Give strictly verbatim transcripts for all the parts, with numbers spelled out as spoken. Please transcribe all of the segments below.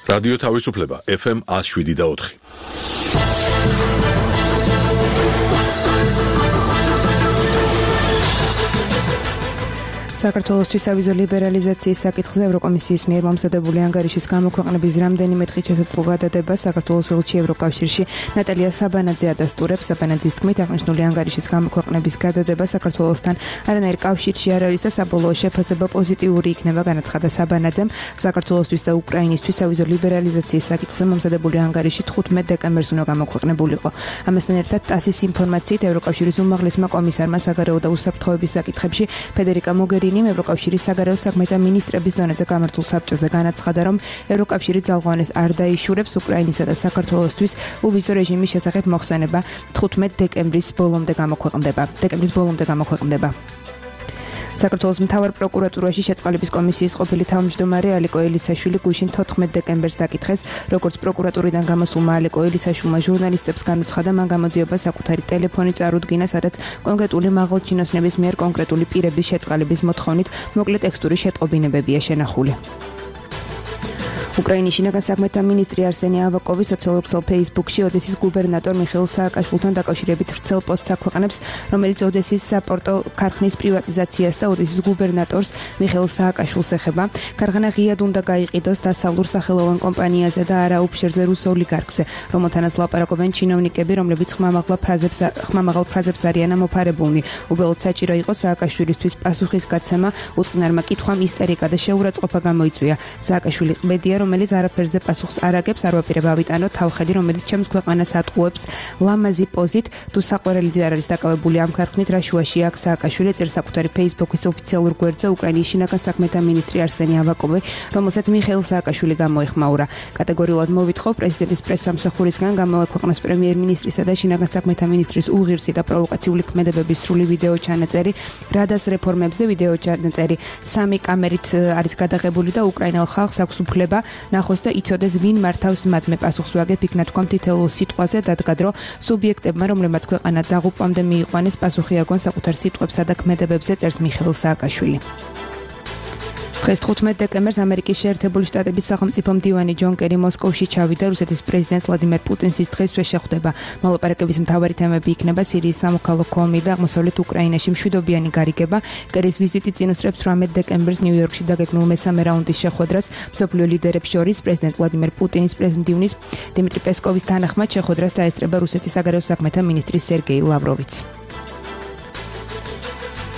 რადიო თავისუფლება ეფ ემ one oh seven და four. საქართველოსთვის სავიზო ლიბერალიზაციის საკითხზე ევროკომისიის მიერ მომზადებული ანგარიშის გამოქვეყნების რამდენიმე დღით შესაძლო გადადებას საქართველოს ელჩი ევროკავშირში ნატალია საბანაძე ადასტურებს. საბანაძის თქმით, აღნიშნული ანგარიშის გამოქვეყნების გადადება საქართველოსთან არანაირ კავშირში არ არის და საბოლოო შეფასება პოზიტიური იქნება. განაცხადა საბანაძემ, საქართველოსთვის და უკრაინისთვის სავიზო ლიბერალიზაციის საკითხზე მომზადებული ანგარიში თხუთმეტ დეკემბერს უნდა გამოქვეყნებულიყო. ამასთან ერთად ტასის ინფორმაციით ევროკავშირის უმაღლესმა კომისარმა საგარეო და უსაფრთხოების საკითხებში ფედერიკა მოგერინი ევროკავშირის საგარეო საქმეთა მინისტრების დონეზე გამართულ საბჭოზე განაცხადა, რომ ევროკავშირი ძალღვანეს არ დაიშურებს უკრაინისა და საქართველოსთვის უვიზო რეჟიმის შესახებ მოხსენება თხუთმეტ დეკემბრის ბოლომდე გამოქვეყნდება. დეკემბრის ბოლომდე გამოქვეყნდება. საქართველოს მთავარ პროკურატურაში შეწყალების კომისიის ყოფილი თავმჯდომარე ალიკო ელისაშვილი გუშინ თოთხმეტ დეკემბერს დაკითხეს, როგორც პროკურატურიდან გამოსულმა ალიკო ელისაშვილმა ჟურნალისტებს განუცხადა, მან გამოძიება საკუთარი ტელეფონი წარუდგინა, სადაც კონკრეტული მაღალჩინოსნების მიერ კონკრეტული პირების შეწყალების მოთხოვნით მოკლე ტექსტური შეტყობინებებია შენახული. უკრაინის შინაგან საქმეთა მინისტრი არსენი ავაკოვი სოციალურ ქსელ ფეისბუქში ოდესის გუბერნატორ მიხეილ სააკაშვილთან დაკავშირებით ვრცელ პოსტს აქვეყნებს, რომელიც ოდესის საპორტო ქარხნის პრივატიზაციას და ოდესის გუბერნატორს მიხეილ სააკაშვილს ეხება. ქარხანა ღიად უნდა გაიყიდოს დასავლურ სახელოვან კომპანიაზე და არა უფშერზე რუს ოლიგარქზე, რომელთანაც ლაპარაკობენ ჩინოვნიკები, რომლებიც ხმამაღლა ფრაზებს ხმამაღალ ფრაზებს არიან ამოფარებულნი. უბრალოდ საჭირო იყო სააკაშვილისთვის პასუხისგაცემა უწყნარმა კითხვამ ისტერიკა და შეურაცხყოფა გამოიწვია. სააკაშვილი ყბედია, რომელიც არაფერზე პასუხს არ აგებს, არ ვაპირებ ავიტანო თავხედი, რომელიც ჩემს ქვეყანას ატყუებს ლამაზი პოზით, თუ საყვარელიძე არ არის დაკავებული ამ ქარხნით, რა შუაში აქვს სააკაშვილი, წერს საკუთარი ფეისბუქის ოფიციალურ გვერდზე უკრაინის შინაგან საქმეთა მინისტრი არსენი ავაკოვი, რომელსაც მიხეილ სააკაშვილი გამოეხმაურა. კატეგორიულად მოვითხოვ პრეზიდენტის პრესსამსახურისგან გამოექვეყნოს პრემიერ-მინისტრისა და შინაგან საქმეთა მინისტრის უღირსი და პროვოკაციული ქმედებების სრული ვიდეო ჩანაწერი, რადას რეფორმებზე ვიდეო ჩანაწერი სამი კამერით არის გადაღებული და უკრაინელ ხალხს აქვს უფლება ნახოს და იცოდეს, ვინ მართავს მათმე პასუხს ვაგებ იქნა თქვა თითოეულ სიტყვაზე, დადგა დრო სუბიექტებმა, რომლებმაც ქვეყანა დაღუპვამდე მიიყვანეს, პასუხი აგონ საკუთარ სიტყვებსა და ქმედებებზე, წერს მიხეილ სააკაშვილი. დღეს თხუთმეტ დეკემბერს ამერიკის შეერთებული შტატების სახელმწიფო მდივანი ჯონ კერი მოსკოვში ჩავიდა. რუსეთის პრეზიდენტს ვლადიმერ პუტინს ის დღესვე შეხვდება. მოლაპარაკების მთავარი თემები იქნება სირიის სამოქალაქო ომი და აღმოსავლეთ უკრაინაში მშვიდობიანი გარიგება. კერის ვიზიტი წინ უსწრებს თვრამეტ დეკემბერს ნიუ-იორკში დაგეგმილ მესამე რაუნდის შეხვედრას მსოფლიო ლიდერებს შორის. პრეზიდენტ ვლადიმერ პუტინის პრეზმდივნის დიმიტრი პესკოვის თანახმად შეხვედრას დაესწრება რუსეთის საგარეო საქმეთა მინისტრი სერგეი ლავროვიც.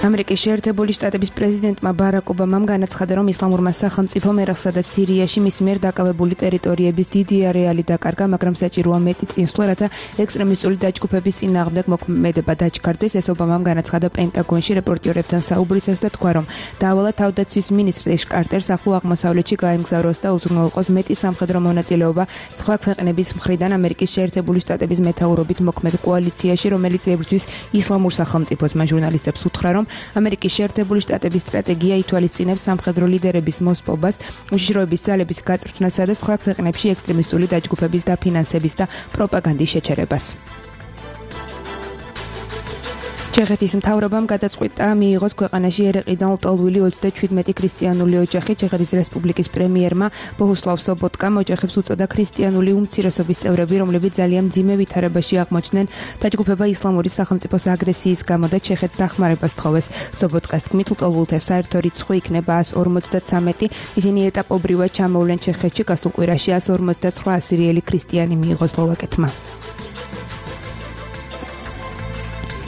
ამერიკის შეერთებული შტატების პრეზიდენტმა ბარაკ ობამამ განაცხადა, რომ ისლამურმა სახელმწიფომ ერაყსა და სირიაში მის მიერ დაკავებული ტერიტორიების დიდი არეალი დაკარგა, მაგრამ საჭიროა მეტი წინსვლა, რათა ექსტრემისტული დაჯგუფების წინააღმდეგ მოქმედება დაჩქარდეს. ეს ობამამ განაცხადა პენტაგონში რეპორტიორებთან საუბრისას და თქვა, რომ დაავალა თავდაცვის მინისტრ ეშ კარტერს ახლო აღმოსავლეთში გაემგზავროს და უზრუნველყოს მეტი სამხედრო მონაწილეობა სხვა ქვეყნების მხრიდან ამერიკის შეერთებული შტატების მეთაურობით მოქმედ კოალიციაში, რომელიც ებრძვის ისლამურ სახელმწიფოს. მან ჟურნალისტებს უთხრა, რომ ამერიკის შეერთებული შტატების სტრატეგია ითვალისწინებს სამხედრო ლიდერების მოსპობას, უშიშროების ძალების გაწვრთნასა და სხვა ქვეყნებში ექსტრემისტული დაჯგუფების დაფინანსების და პროპაგანდის შეჩერებას. ჩეხეთის მთავრობამ გადაწყვიტა მიიღოს ქვეყანაში ერეყიდან ლტოლვილი ოცდაჩვიდმეტი ქრისტიანული ოჯახი. ჩეხეთის რესპუბლიკის პრემიერმა ბოჰუსლავ სობოტკამ ოჯახებს უწოდა ქრისტიანული უმცირესობის წევრები, რომლებიც ძალიან მძიმე ვითარებაში აღმოჩნდნენ დაჯგუფება ისლამური სახელმწიფოს აგრესიის გამო და ჩეხეთს დახმარებას თხოვეს. სობოტკას თქმით, ლტოლვილთა საერთო რიცხვი იქნება one ორმოცდათვრამეტი. ისინი ეტაპობრივად ჩამოვლენ ჩეხეთში, გასულ კვირაში one ორმოცდაცხრა ასირიელი ქრისტიანი მიიღო სლოვაკეთმა.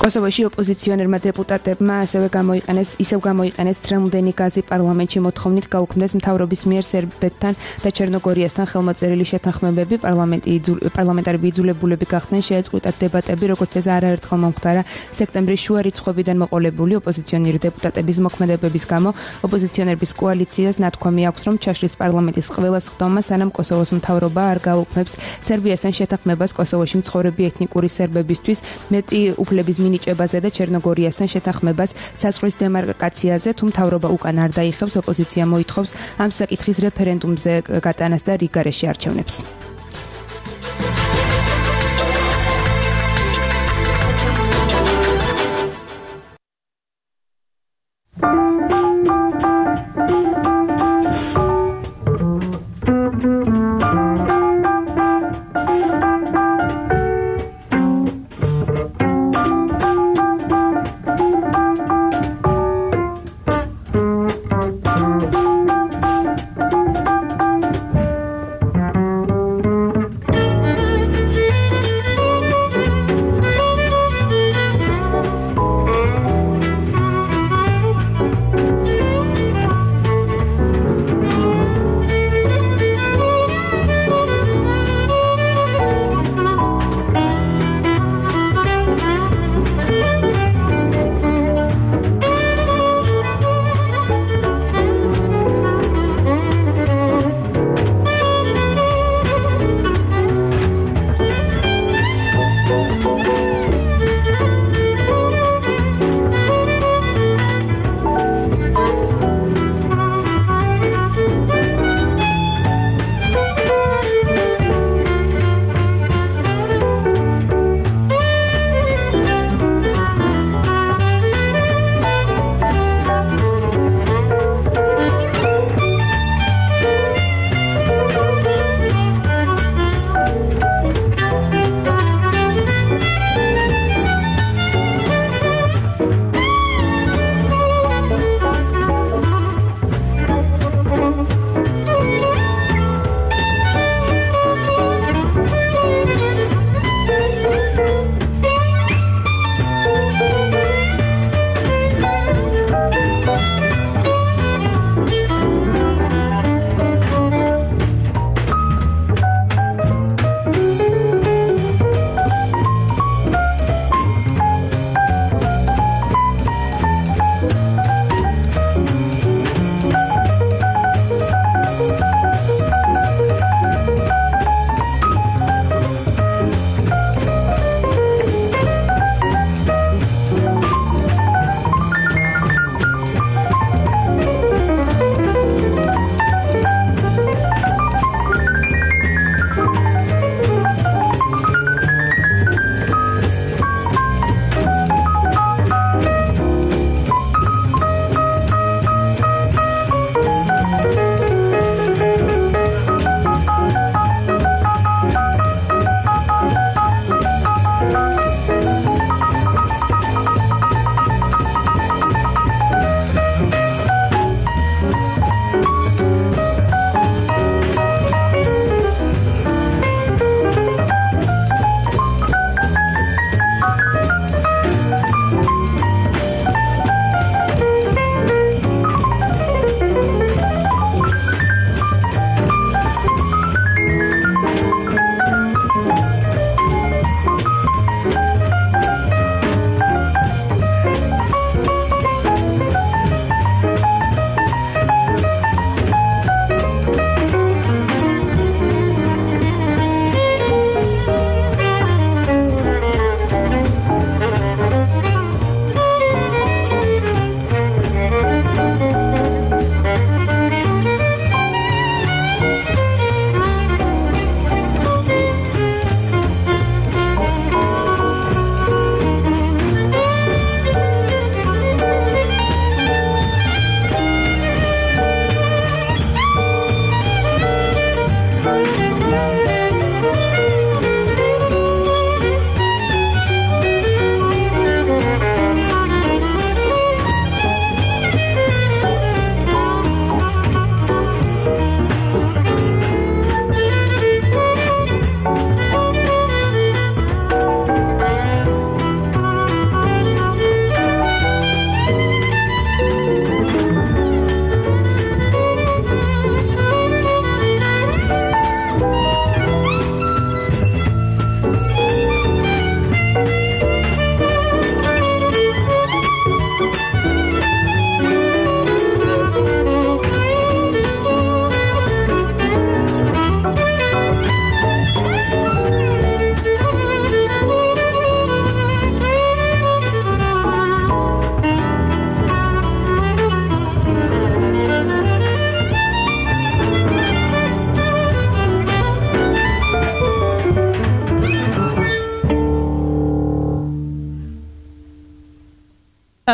კოსოვოში ოპოზიციონერმა დეპუტატებმა ასევე გამოიყენეს ისევ გამოიყენეს ტრემლდენი გაზი პარლამენტში მოთხოვნით გაუქმდეს მთავრობის მიერ სერბეთთან და ჩერნოგორიასთან ხელმოწერილი შეთანხმებები. პარლამენტარები იძულებულები გახდნენ შეეწყვიტათ დებატები, როგორც ეს არაერთხელ მომხდარა სექტემბრის შუა რიცხვებიდან მოყოლებული ოპოზიციონერი დეპუტატების მოქმედებების გამო. ოპოზიციონერების კოალიციას ნათქვამი აქვს, რომ ჩაშლის პარლამენტის ყველა სხდომა, სანამ კოსოვოს მთავრობა არ გაუქმებს სერბიასთან შეთანხმებას კოსოვოში მცხოვრები ეთნიკური სერბებისთვის მეტი უფლების მინიჭებაზე და ჩერნოგორიასთან შეთანხმებას საზღვრის დემარკაციაზე, თუ მთავრობა უკან არ დაიხევს, ოპოზიცია მოითხოვს ამ საკითხის რეფერენდუმზე გატანას და რიგარეში არჩევნებს.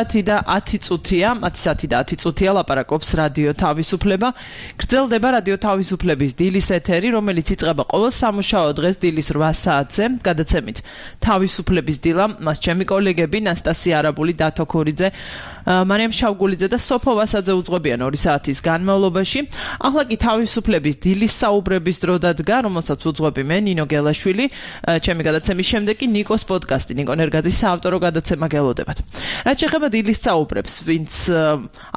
ათი და ათი წუთია, ათი საათი და ათი წუთია ლაპარაკობს რადიო თავისუფლება. გრძელდება რადიო თავისუფლების დილის ეთერი, რომელიც იწყება ყოველ სამუშაო დღეს დილის რვა საათზე. გადაცემით თავისუფლების დილა, მას ჩემი კოლეგები ნასტასია არაბული, დათო ქორიძე, მარიამ შავგულიძე და სოფო ვასაძე უძღვებიან ორი საათის განმავლობაში. ახლა კი თავისუფლების დილის საუბრების დრო დადგა, რომელსაც უძღვები მე, ნინო გელაშვილი. ჩემი გადაცემის შემდეგ კი ნიკოს პოდკასტი, ნიკო ნერგაძის საავტორო გადაცემა გელოდებათ. რაც შეეხება დილის საუბრებს, ვინც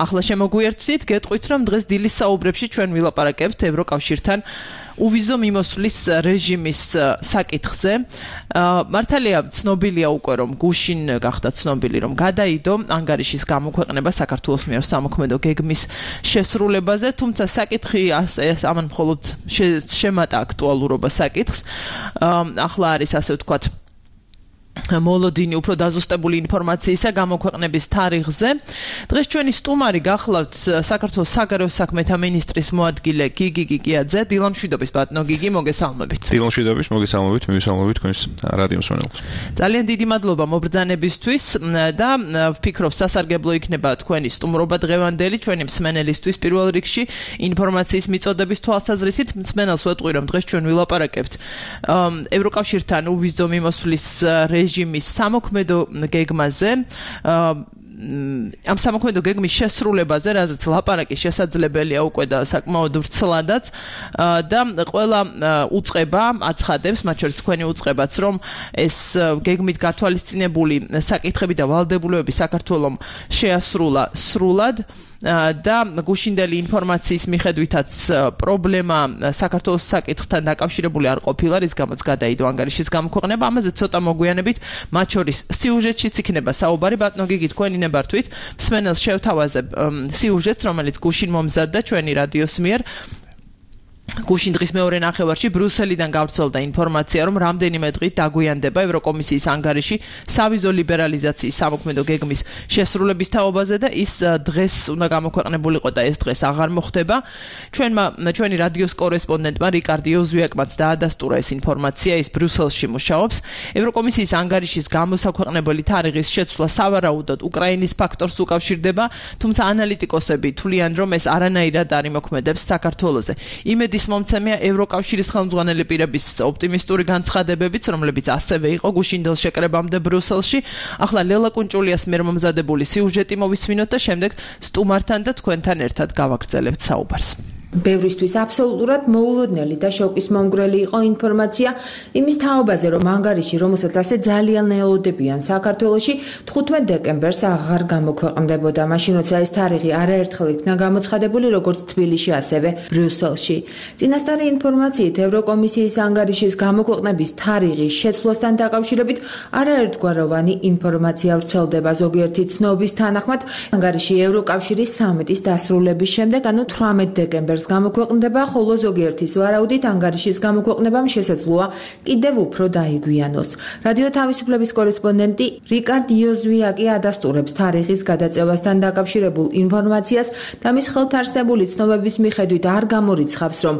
ახლა შემოგვიერთდით, გეტყვით, რომ დღეს დილის საუბრებში ჩვენ ვილაპარაკებთ ევროკავშირთან უვიზო მიმოსვლის რეჟიმის საკითხზე. მართალია ცნობილია უკვე, რომ გუშინ გახდა ცნობილი, რომ გადაიდო ანგარიშის გამოქვეყნება საქართველოს მიერ სამოქმედო გეგმის შესრულებაზე, თუმცა საკითხი ეს ამან მხოლოდ შემატა აქტუალურობა საკითხს. ახლა არის ასე ვთქვათ მოლოდინი უფრო დაზუსტებული ინფორმაციისა გამოქვეყნების თარიღზე. დღეს ჩვენი სტუმარი გახლავთ საქართველოს საგარეო საქმეთა მინისტრის მოადგილე გიგი გიგიაძე. დილამშვიდობის ბატონო გიგი, მოგესალმებით. დილამშვიდობის, მოგესალმებით, მივესალმებით თქვენს რადიო მსმენელს. ძალიან დიდი მადლობა მობრძანებისთვის და ვფიქრობ სასარგებლო იქნება თქვენი სტუმრობა დღევანდელი ჩვენი მსმენელისთვის პირველ რიგში ინფორმაციის მიწოდების თვალსაზრისით. მსმენელს ვეტყვი, რომ დღეს ჩვენ ვილაპარაკებთ ევროკავშირთან უვიზო მიმოსვლის რეჟიმის სამოქმედო გეგმაზე, ამ სამოქმედო გეგმის შესრულებაზე, რაზეც ლაპარაკი შესაძლებელია უკვე და საკმაოდ ვრცლადაც და ყველა უწყება აცხადებს, მათ შორის თქვენი უწყებაც, რომ ეს გეგმით გათვალისწინებული საკითხები და ვალდებულებები საქართველოს შეასრულა სრულად. და გუშინდელი ინფორმაციის მიხედვითაც პრობლემა საქართველოს საკითხთან დაკავშირებული არ ყოფილა, რის გამოც გადაიდო ანგარიშის გამოქვეყნება. ამაზე ცოტა მოგვიანებით, მათ შორის სიუჟეტშიც იქნება საუბარი. ბატონო გიგი, თქვენი ნებართვით მსმენელს შევთავაზებ სიუჟეტს, რომელიც გუშინ მომზადდა ჩვენი რადიოს მიერ. გუშინ დღის მეორე ნახევარში ბრიუსელიდან გავრცელდა ინფორმაცია, რომ რამდენიმე დღით დაგვიანდება ევროკომისიის ანგარიში სავიზო ლიბერალიზაციის სამოქმედო გეგმის შესრულების თაობაზე და ის დღეს უნდა გამოქვეყნებულიყო და ეს დღეს აღარ მოხდება. ჩვენმა ჩვენი რადიოს კორესპონდენტმა რიკარდ იოზვიაკმაც დაადასტურა ეს ინფორმაცია, ის ბრიუსელში მუშაობს. ევროკომისიის ანგარიშის გამოსაქვეყნებელი თარიღის შეცვლა სავარაუდოდ უკრაინის ფაქტორს უკავშირდება, თუმცა ანალიტიკოსები თვლიან, რომ ეს არანაირად არ იმოქმედებს საქართველოზე. იმედი მომცემია ევროკავშირის ხელმძღვანელი პირების ოპტიმისტური განცხადებებიც, რომლებიც ასევე იყო გუშინდელ შეკრებამდე ბრიუსელში. ახლა ლელა კუნჭულიას მიერ მომზადებული სიუჟეტი მოვისმინოთ და შემდეგ სტუმართან და თქვენთან ერთად გავაგრძელებთ საუბარს. ბევრისთვის აბსოლუტურად მოულოდნელი და შოკის მომგვრელი იყო ინფორმაცია იმის თაობაზე, რომ ანგარიში, რომელსაც ასე ძალიან ელოდებიან საქართველოში, თხუთმეტ დეკემბერს აღარ გამოქვეყნდებოდა. მაშინ როცა ეს თარიღი არაერთხელ იქნა გამოცხადებული, როგორც თბილისში, ასევე ბრიუსელში. წინასწარი ინფორმაციით, ევროკომისიის ანგარიშის გამოქვეყნების თარიღის შეცვლასთან დაკავშირებით არაერთგვაროვანი ინფორმაცია ვრცელდება. ზოგიერთი ცნობის თანახმად, ანგარიში ევროკავშირის სამიტის დასრულების შემდეგ, ანუ თვრამეტ დეკემბერს გამოქვეყნდება, ხოლო ზოგიერთის ვარაუდით ანგარიშის გამოქვეყნებამ შესაძლოა კიდევ უფრო დაიგვიანოს. რადიო თავისუფლების კორესპონდენტი რიკარდ იოზვიაკი ადასტურებს თარიღის გადაწევასთან დაკავშირებულ ინფორმაციას და მის ხელთ არსებული ცნობების მიხედვით არ გამორიცხავს, რომ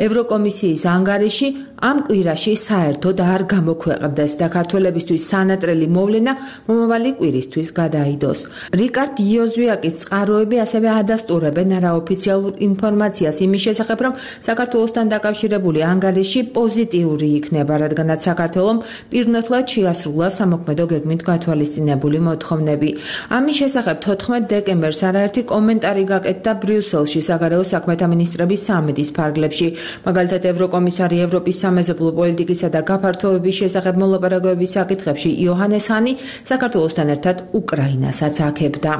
ევროკომისიის ანგარიში ამ კვირაში საერთოდ არ გამოქვეყნდეს და ქართველებისთვის სანატრელი მოვლენა მომავალი კვირისთვის გადაიდოს. რიკარდ იოზვიაკის წყაროები ასევე ადასტურებენ არაოფიციალურ ინფორმაციას იმის შესახებ, რომ საქართველოსთან დაკავშირებული ანგარიში პოზიტიური იქნება, რადგანაც საქართველომ პირნათლად შეასრულა სამოქმედო გეგმით გათვალისწინებული მოთხოვნები. ამის შესახებ თოთხმეტ დეკემბერს არაერთი კომენტარი გაკეთდა ბრიუსელში საგარეო საქმეთა მინისტრების სამიტის ფარგლებში. მაგალითად, ევროკომისარი ევროპის სამეზობლო პოლიტიკისა და გაფართოების შესახებ მოლაპარაკებების საკითხებში იოჰანეს ჰანი საქართველოსთან ერთად უკრაინასაც აქებდა.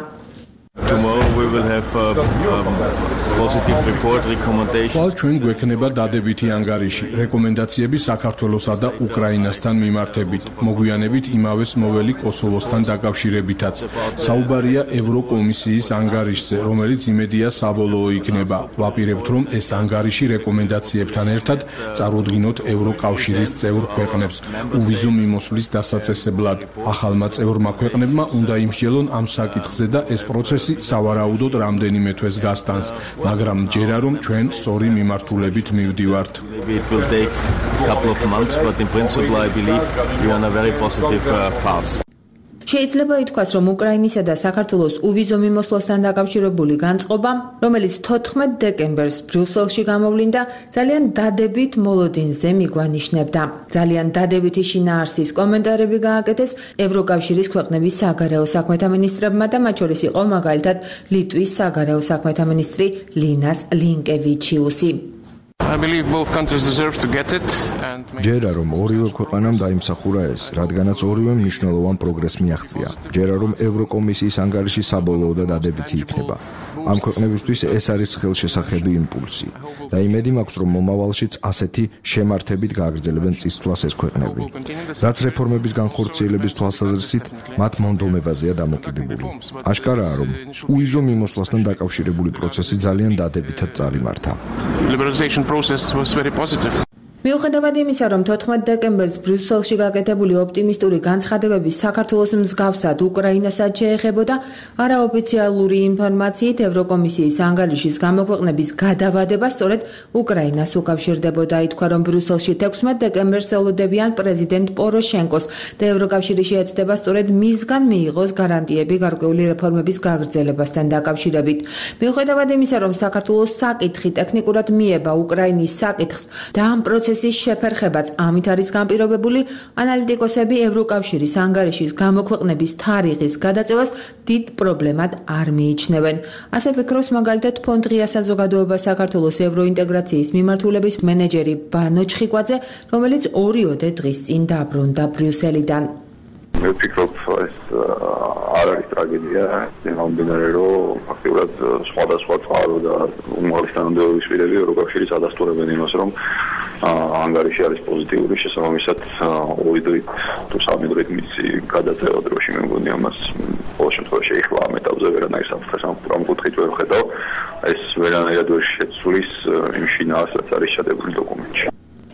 Tomorrow we will have a um, positive report recommendation. Ყოველ ჩვენ გვექნება დადებითი ანგარიში, რეკომენდაციები საქართველოსა და უკრაინასთან მიმართებით, მოგვიანებით იმავეს მოველი კოსოვოსთან დაკავშირებითაც. საუბარია ევროკომისიის ანგარიშზე, რომელიც იმედია საბოლოო იქნება. ვაპირებთ, რომ ეს ანგარიში რეკომენდაციებთან ერთად წარუდგინოთ ევროკავშირის წევრ ქვეყნებს უვიზო მიმოსვლის დასაწესებლად. ახალმა წევრმა ქვეყნებმა უნდა იმსჯელონ ამ საკითხზე და ეს პროცესი სავარაუდოდ რამდენიმე თვეს გასტანს, მაგრამ ჯერა რომ ჩვენ სწორი მიმართულებით მივდივართ. It will take a couple of months, but in principle I believe we are on a very positive uh, path. შეიძლება ითქვას, რომ უკრაინისა და საქართველოს უვიზო მიმოსვლასთან დაკავშირებული განწყობა, რომელიც თოთხმეტ დეკემბერს ბრიუსელში გამოვლინდა, ძალიან დადებით მოლოდინზე მიგვანიშნებდა. ძალიან დადებითი შინაარსის კომენტარები გააკეთეს ევროკავშირის ქვეყნების საგარეო საქმეთა მინისტრებმა და მათ შორის იყო მაგალითად ლიტვის საგარეო საქმეთა მინისტრი ლინას ლინკევიჩიუსი. ჯერა რომ ორივე ქვეყანამ დაიმსახურა ეს, რადგანაც ორივე მნიშვნელოვან პროგრესს მიაღწია. ჯერა რომ ევროკომისიის ანგარიში საბოლოო და დადებითი იქნება. ამ ქვეყნებისთვის ეს არის ხელშესახები იმპულსი და იმედი მაქვს, რომ მომავალშიც ასეთი შემართებით გააგრძელებენ წინსვლას ეს ქვეყნები. რაც რეფორმების განხორციელების თვალსაზრისით მათ მონდომებაზეა დამოკიდებული. აშკარაა, რომ უვიზო მიმოსვლასთან დაკავშირებული პროცესი ძალიან დადებითად წარიმართა. process was very positive. მიუხედავად იმისა, რომ თოთხმეტ დეკემბერს ბრიუსელში გაკეთებული ოპტიმისტური განცხადებები საქართველოს მსგავსად უკრაინასაც შეეხებოდა, არაოფიციალური ინფორმაციით ევროკომისიის ანგარიშის გამოქვეყნების გადავადება სწორედ უკრაინას უკავშირდებოდა. ითქვა, რომ ბრიუსელში თექვსმეტ დეკემბერს ელოდებიან პრეზიდენტ პოროშენკოს და ევროკავშირი შეეცდება სწორედ მისგან მიიღოს გარანტიები გარკვეული რეფორმების გაგრძელებასთან დაკავშირებით. მიუხედავად იმისა, რომ საქართველოს საკითხი ტექნიკურად მიება უკრაინის საკითხს და ამ პროცესის შეფერხებაც ამით არის განპირობებული, ანალიტიკოსები ევროკავშირის ანგარიშის გამოქვეყნების თარიღის გადაწევას დიდ პრობლემად არ მიიჩნევენ. ასე ფიქრობს მაგალითად ფონდ ღია საზოგადოება საქართველოს ევროინტეგრაციის მიმართულების მენეჯერი ბანო ჩხიკვაძე, რომელიც ორიოდე დღის წინ დაბრუნდა ბრიუსელიდან. მე ვფიქრობ, ეს არ არის ტრაგედია, იმამდენად რომ ფაქტობრივად სხვადასხვა წყარო და უმაღლესი თანამდებობის პირები ევროკავშირის ადასტურებენ იმას, რომ ანგარიში არის პოზიტიური, შესაბამისად ორი დღით თუ სამი დღით მისი გადაწევა დროში მე მგონი ამას ყოველ შემთხვევაში ეხლა ამ ეტაპზე ვერანაირ საფრთხეს ამ კუთხით ვერ ხედავ, ეს ვერანაირად ვერ შეცვლის იმ შინაარსს, რაც არის ჩადებული დოკუმენტში.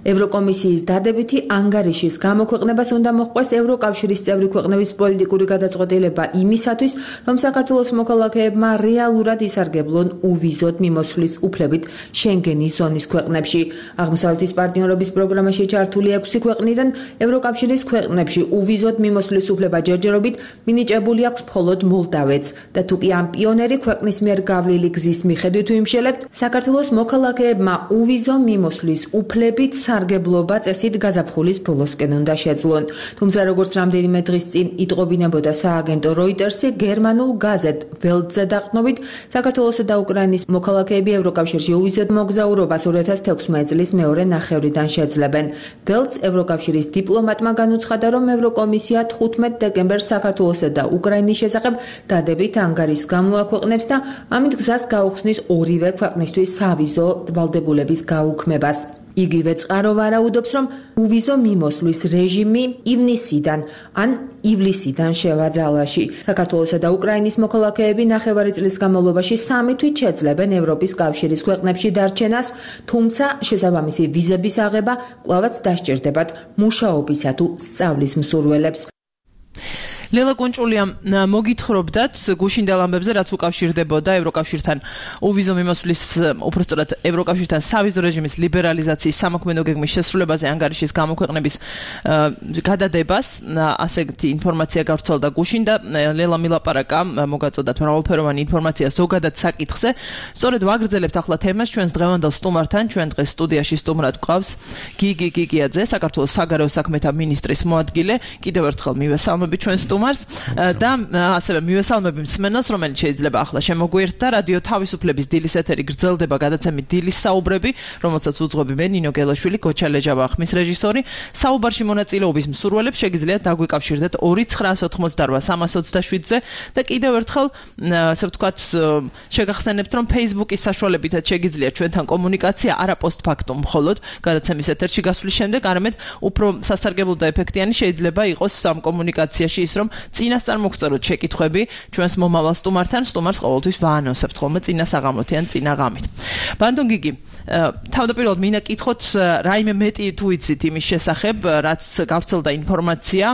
ევროკომისიის დადებითი ანგარიშის გამოქვეყნებას უნდა მოჰყვეს ევროკავშირის წევრი ქვეყნების პოლიტიკური გადაწყვეტილება იმისათვის, რომ საქართველოს მოქალაქეებმა რეალურად ისარგებლონ უვიზოდ მიმოსვლის უფლებით შენგენის ზონის ქვეყნებში. აღმოსავლეთის პარტნიორობის პროგრამაში ჩართული ექვსი ქვეყნიდან ევროკავშირის ქვეყნებში უვიზოდ მიმოსვლის უფლება ჯერჯერობით მინიჭებული აქვს მხოლოდ მოლდავეთს და თუკი ამ პიონერი ქვეყნის მიერ გავლილი გზის მიხედვით ვიმშელებთ, საქართველოს მოქალაქეებმა უვიზო მიმოსვლის უფლებით სარგებლობა წესით გაზაფხულის ბოლოსკენ უნდა შეძლონ. თუმცა როგორც რამდენიმე დღის წინ იტყობინებოდა სააგენტო როიტერსი, გერმანულ გაზეთ ველტზე დაყრდნობით, საქართველოსა და უკრაინის მოქალაქეები ევროკავშირში უვიზოდ მოგზაურობას ორი ათას თექვსმეტ წლის მეორე ნახევრიდან შეძლებენ. ველტს ევროკავშირის დიპლომატმა განუცხადა, რომ ევროკომისია თხუთმეტ დეკემბერს საქართველოსა და უკრაინის შესახებ დადებით ანგარიშს გამოაქვეყნებს და ამით გზას გაუხსნის ორივე ქვეყნისთვის სავიზო ვალდებულების გაუქმებას. იგივე წყარო ვარაუდობს, რომ უვიზო მიმოსვლის რეჟიმი ივნისიდან ან ივლისიდან შევაძალაში. საქართველოსა და უკრაინის მოქალაქეები ნახევარი წლის განმავლობაში სამი თვით შეძლებენ ევროპის კავშირის ქვეყნებში დარჩენას, თუმცა შესაბამისი ვიზების აღება კვლავაც დასჭირდებათ მუშაობისა თუ სწავლის მსურველებს. ლელა კუნჭულია მოგითხრობდათ გუშინდელ ამბებზე, რაც უკავშირდებოდა ევროკავშირთან უვიზო მიმოსვლის, უпростоრად ევროკავშირთან სავიზო რეჟიმის ლიბერალიზაციის სამოქმედო გეგმის შესრულებაზე ანგარიშის გამოქვეყნების გადადებას. ასეთი ინფორმაცია გავრცელდა გუშინდა. ლელა მილაპარაკა მოგაწოდათ მრავალფეროვანი ინფორმაცია ზოგადად საკითხზე. სწორედ ვაგრძელებთ ახლა თემას ჩვენს დღევანდელ სტუმართან. ჩვენ დღეს სტუდიაში სტუმრად გვყავს გიგი გიგიაძე, საქართველოს საგარეო საქმეთა მინისტრის მოადგილე. კიდევ ერთხელ მივესალმები ჩვენ სტუმარს და ასევე მივესალმები მსმენელს, რომელიც შეიძლება ახლა შემოგვიერთდა. რადიო თავისუფლების დილის ეთერი გრძელდება გადაცემით დილის საუბრები, რომელსაც უძღვები მე ნინო გელაშვილი, გოჩა ლეჯავა ხმის რეჟისორი. საუბარში მონაწილეობის მსურველებს შეგიძლიათ დაგვიკავშირდეთ ორი ცხრაას ოთხმოცდარვა სამას ოცდაშვიდზე და კიდევ ერთხელ ასე ვთქვათ შეგახსენებთ, რომ Facebook-ის საშუალებითაც შეგიძლიათ ჩვენთან კომუნიკაცია არა პოსტფაქტუმ მხოლოდ გადაცემის ეთერში გასვლის შემდეგ, არამედ უფრო სასარგებლო და ეფექტიანი შეიძლება იყოს ამ კომუნიკაციაში ის, რომ წინასწარ მოგწეროთ შეკითხვები ჩვენს მომავალ სტუმართან. სტუმარს ყოველთვის ვაანონსებთ ხოლმე წინა საღამოთი ან წინა ღამით. ბანდონ გიგი, თავდაპირველად მინდა კითხოთ რაიმე მეტი თუ იცით იმის შესახებ, რაც გავრცელდა ინფორმაცია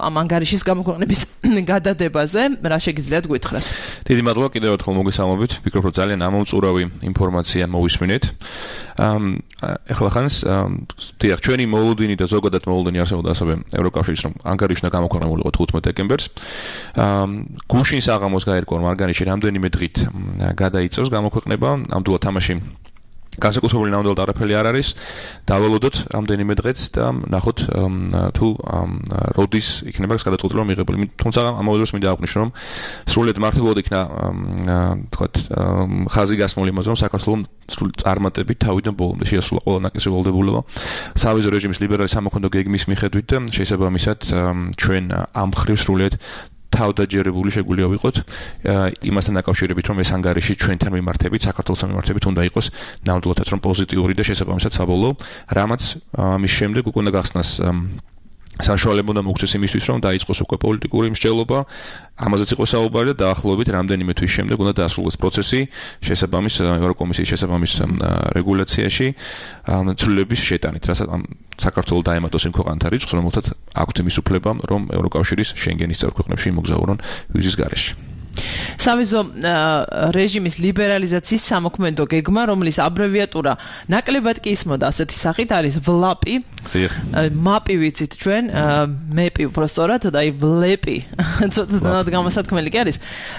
ამ ანგარიშის გამოქვეყნების გადადებაზე, რა შეგიძლიათ გითხრათ? დიდი მადლობა კიდევ ერთხელ მოგესალმებით. ვფიქრობ, რომ ძალიან ამომწურავი ინფორმაცია მოვისმინეთ. ეხლა ხანს თიახ ჩვენი მოლოდინი და ზოგადად მოლოდინი არსებობდა ასევე ევროკავშირის, რომ ანგარიში უნდა გამოქვეყნებულიყო თხუთმეტ დეკემბერს. გუშინ საღამოს გაერკვა მარგარიში რამდენიმე დღით გადაიწევს გამოქვეყნება, ნამდვილად თამაში განსაკუთრებული ნამდვილად არაფერი არ არის. დავალოდოთ რამდენიმე დღეც და ნახოთ თუ როდის იქნება გადაწყვეტილება მიღებული. თუმცა ამავე დროს მინდა აღვნიშნო, რომ სრულიად მართლობოდ იქნა თქვათ ხაზი გასმული იმაზე, რომ საქართველოს სრული წარმატებით თავიდან ბოლომდე შეასრულა ყველა ნაკისი ვალდებულება სავიზო რეჟიმის ლიბერალი სამოქმედო გეგმის მიხედვით და შესაბამისად ჩვენ ამ მხრივ სრულიად თავდაჯერებული შეგვიძლია ვიყოთ იმასთან დაკავშირებით, რომ ეს ანგარიში ჩვენთან მიმართებით, საქართველოსთან მიმართებით უნდა იყოს ნამდვილადაც რომ პოზიტიური და შესაბამისად საბოლოო, რამაც ამის შემდეგ უკვე უნდა გახსნას საშუალება და მოგცეს იმისთვის, რომ დაიწყოს უკვე პოლიტიკური მსჯელობა, ამაზეც იყო საუბარი და დაახლოებით რამდენიმე თვის შემდეგ უნდა დაასრულოს პროცესი შესაბამის ევროკომისიის შესაბამის რეგულაციაში ცვლილების შეტანით, რასაც საქართველოს დაემატოს იმ ქვეყანთა რიცხვს, რომელთაც აქვთ იმის უფლება, რომ ევროკავშირის შენგენის წევრ ქვეყნებში იმოგზაურონ ვიზის გარეშე. სავიზო რეჟიმის ლიბერალიზაციის სამოქმედო გეგმა, რომლის აბრევიატურა ნაკლებად კი ისმოდა ასეთი სახით არის ვლაპი. მაპი ვიცით ჩვენ, მეპი უბრალოდ და აი ვლეპი. ცოტა გამოსათქმელი კი არის.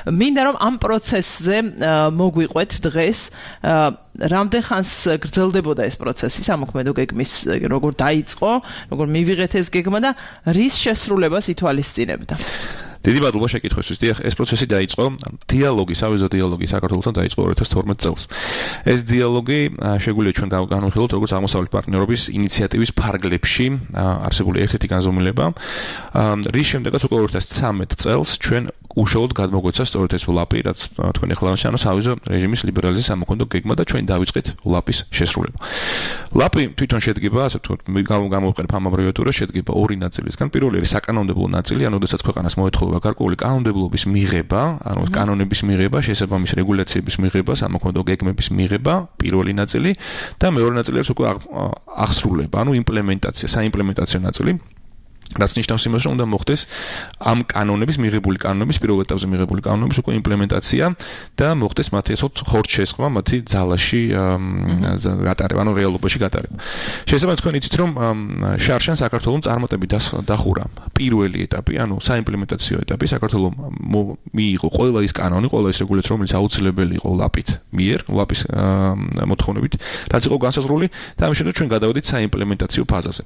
მინდა რომ ამ პროცესზე მოგვიყვეთ დღეს რამდენ ხანს გრძელდებოდა ეს პროცესი სამოქმედო გეგმის როგორ დაიწყო, როგორ მივიღეთ ეს გეგმა და რის შესრულებას ითვალისწინებდა. დიდი მადლობა შეკითხვისთვის. დიახ, ეს პროცესი დაიწყო, დიალოგი, სავიზო დიალოგი საქართველოსთან დაიწყო ორი ათას თორმეტ წელს. ეს დიალოგი შეგვიძლია ჩვენ განვიხილოთ როგორც აღმოსავლეთ პარტნიორობის ინიციატივის ფარგლებში არსებული ერთ-ერთი განზომილება, რის შემდეგაც უკვე ორი ათას ცხრამეტ წელს ჩვენ უშუალოდ გადმოგვეცა სწორედ ეს ვლაპი, რაც თქვენ ახლა ანუ სავიზო რეჟიმის ლიბერალიზაციის სამოქმედო გეგმა და ჩვენ დავიწყეთ ვლაპის შესრულება. ვლაპი თვითონ შედგება, ასე ვთქვათ, გამოვიყენებ ამ აბრევიატურას, შედგება ორი ნაწილისგან. პირველი არის საკანონმდებლო ნაწილი, ანუ როდესაც ქვეყანას მოეთხოვება გარკვეული კანონმდებლობის მიღება, ანუ კანონების მიღება, შესაბამის რეგულაციების მიღება, სამოქმედო გეგმების მიღება, პირველი ნაწილი და მეორე ნაწილი არის უკვე აღსრულება, ანუ იმპლემენტაცია, საიმპლემენტაციო ნაწილი. რაც ნიშნავს იმას, რომ უნდა მოხდეს ამ კანონების მიღებული კანონების პირველ ეტაპზე მიღებული კანონების უკვე იმპლემენტაცია და მოხდეს მათი ასე ხორცშესხმა, მათი ძალაში გატარება, ანუ რეალობაში გატარება. შესაბამისად თქვენ იცით, რომ შარშან საქართველოს წარმატებით დახურა პირველი ეტაპი, ანუ საიმპლემენტაციო ეტაპი, საქართველოს მიიღო ყველა ის კანონი, ყველა ის რეგულაცია, რომელიც აუცილებელი იყო ვლაპით მიერ, ვლაპის მოთხოვნებით, რაც იყო განსაზღვრული და ამის შემდეგ ჩვენ გადავედით საიმპლემენტაციო ფაზაზე.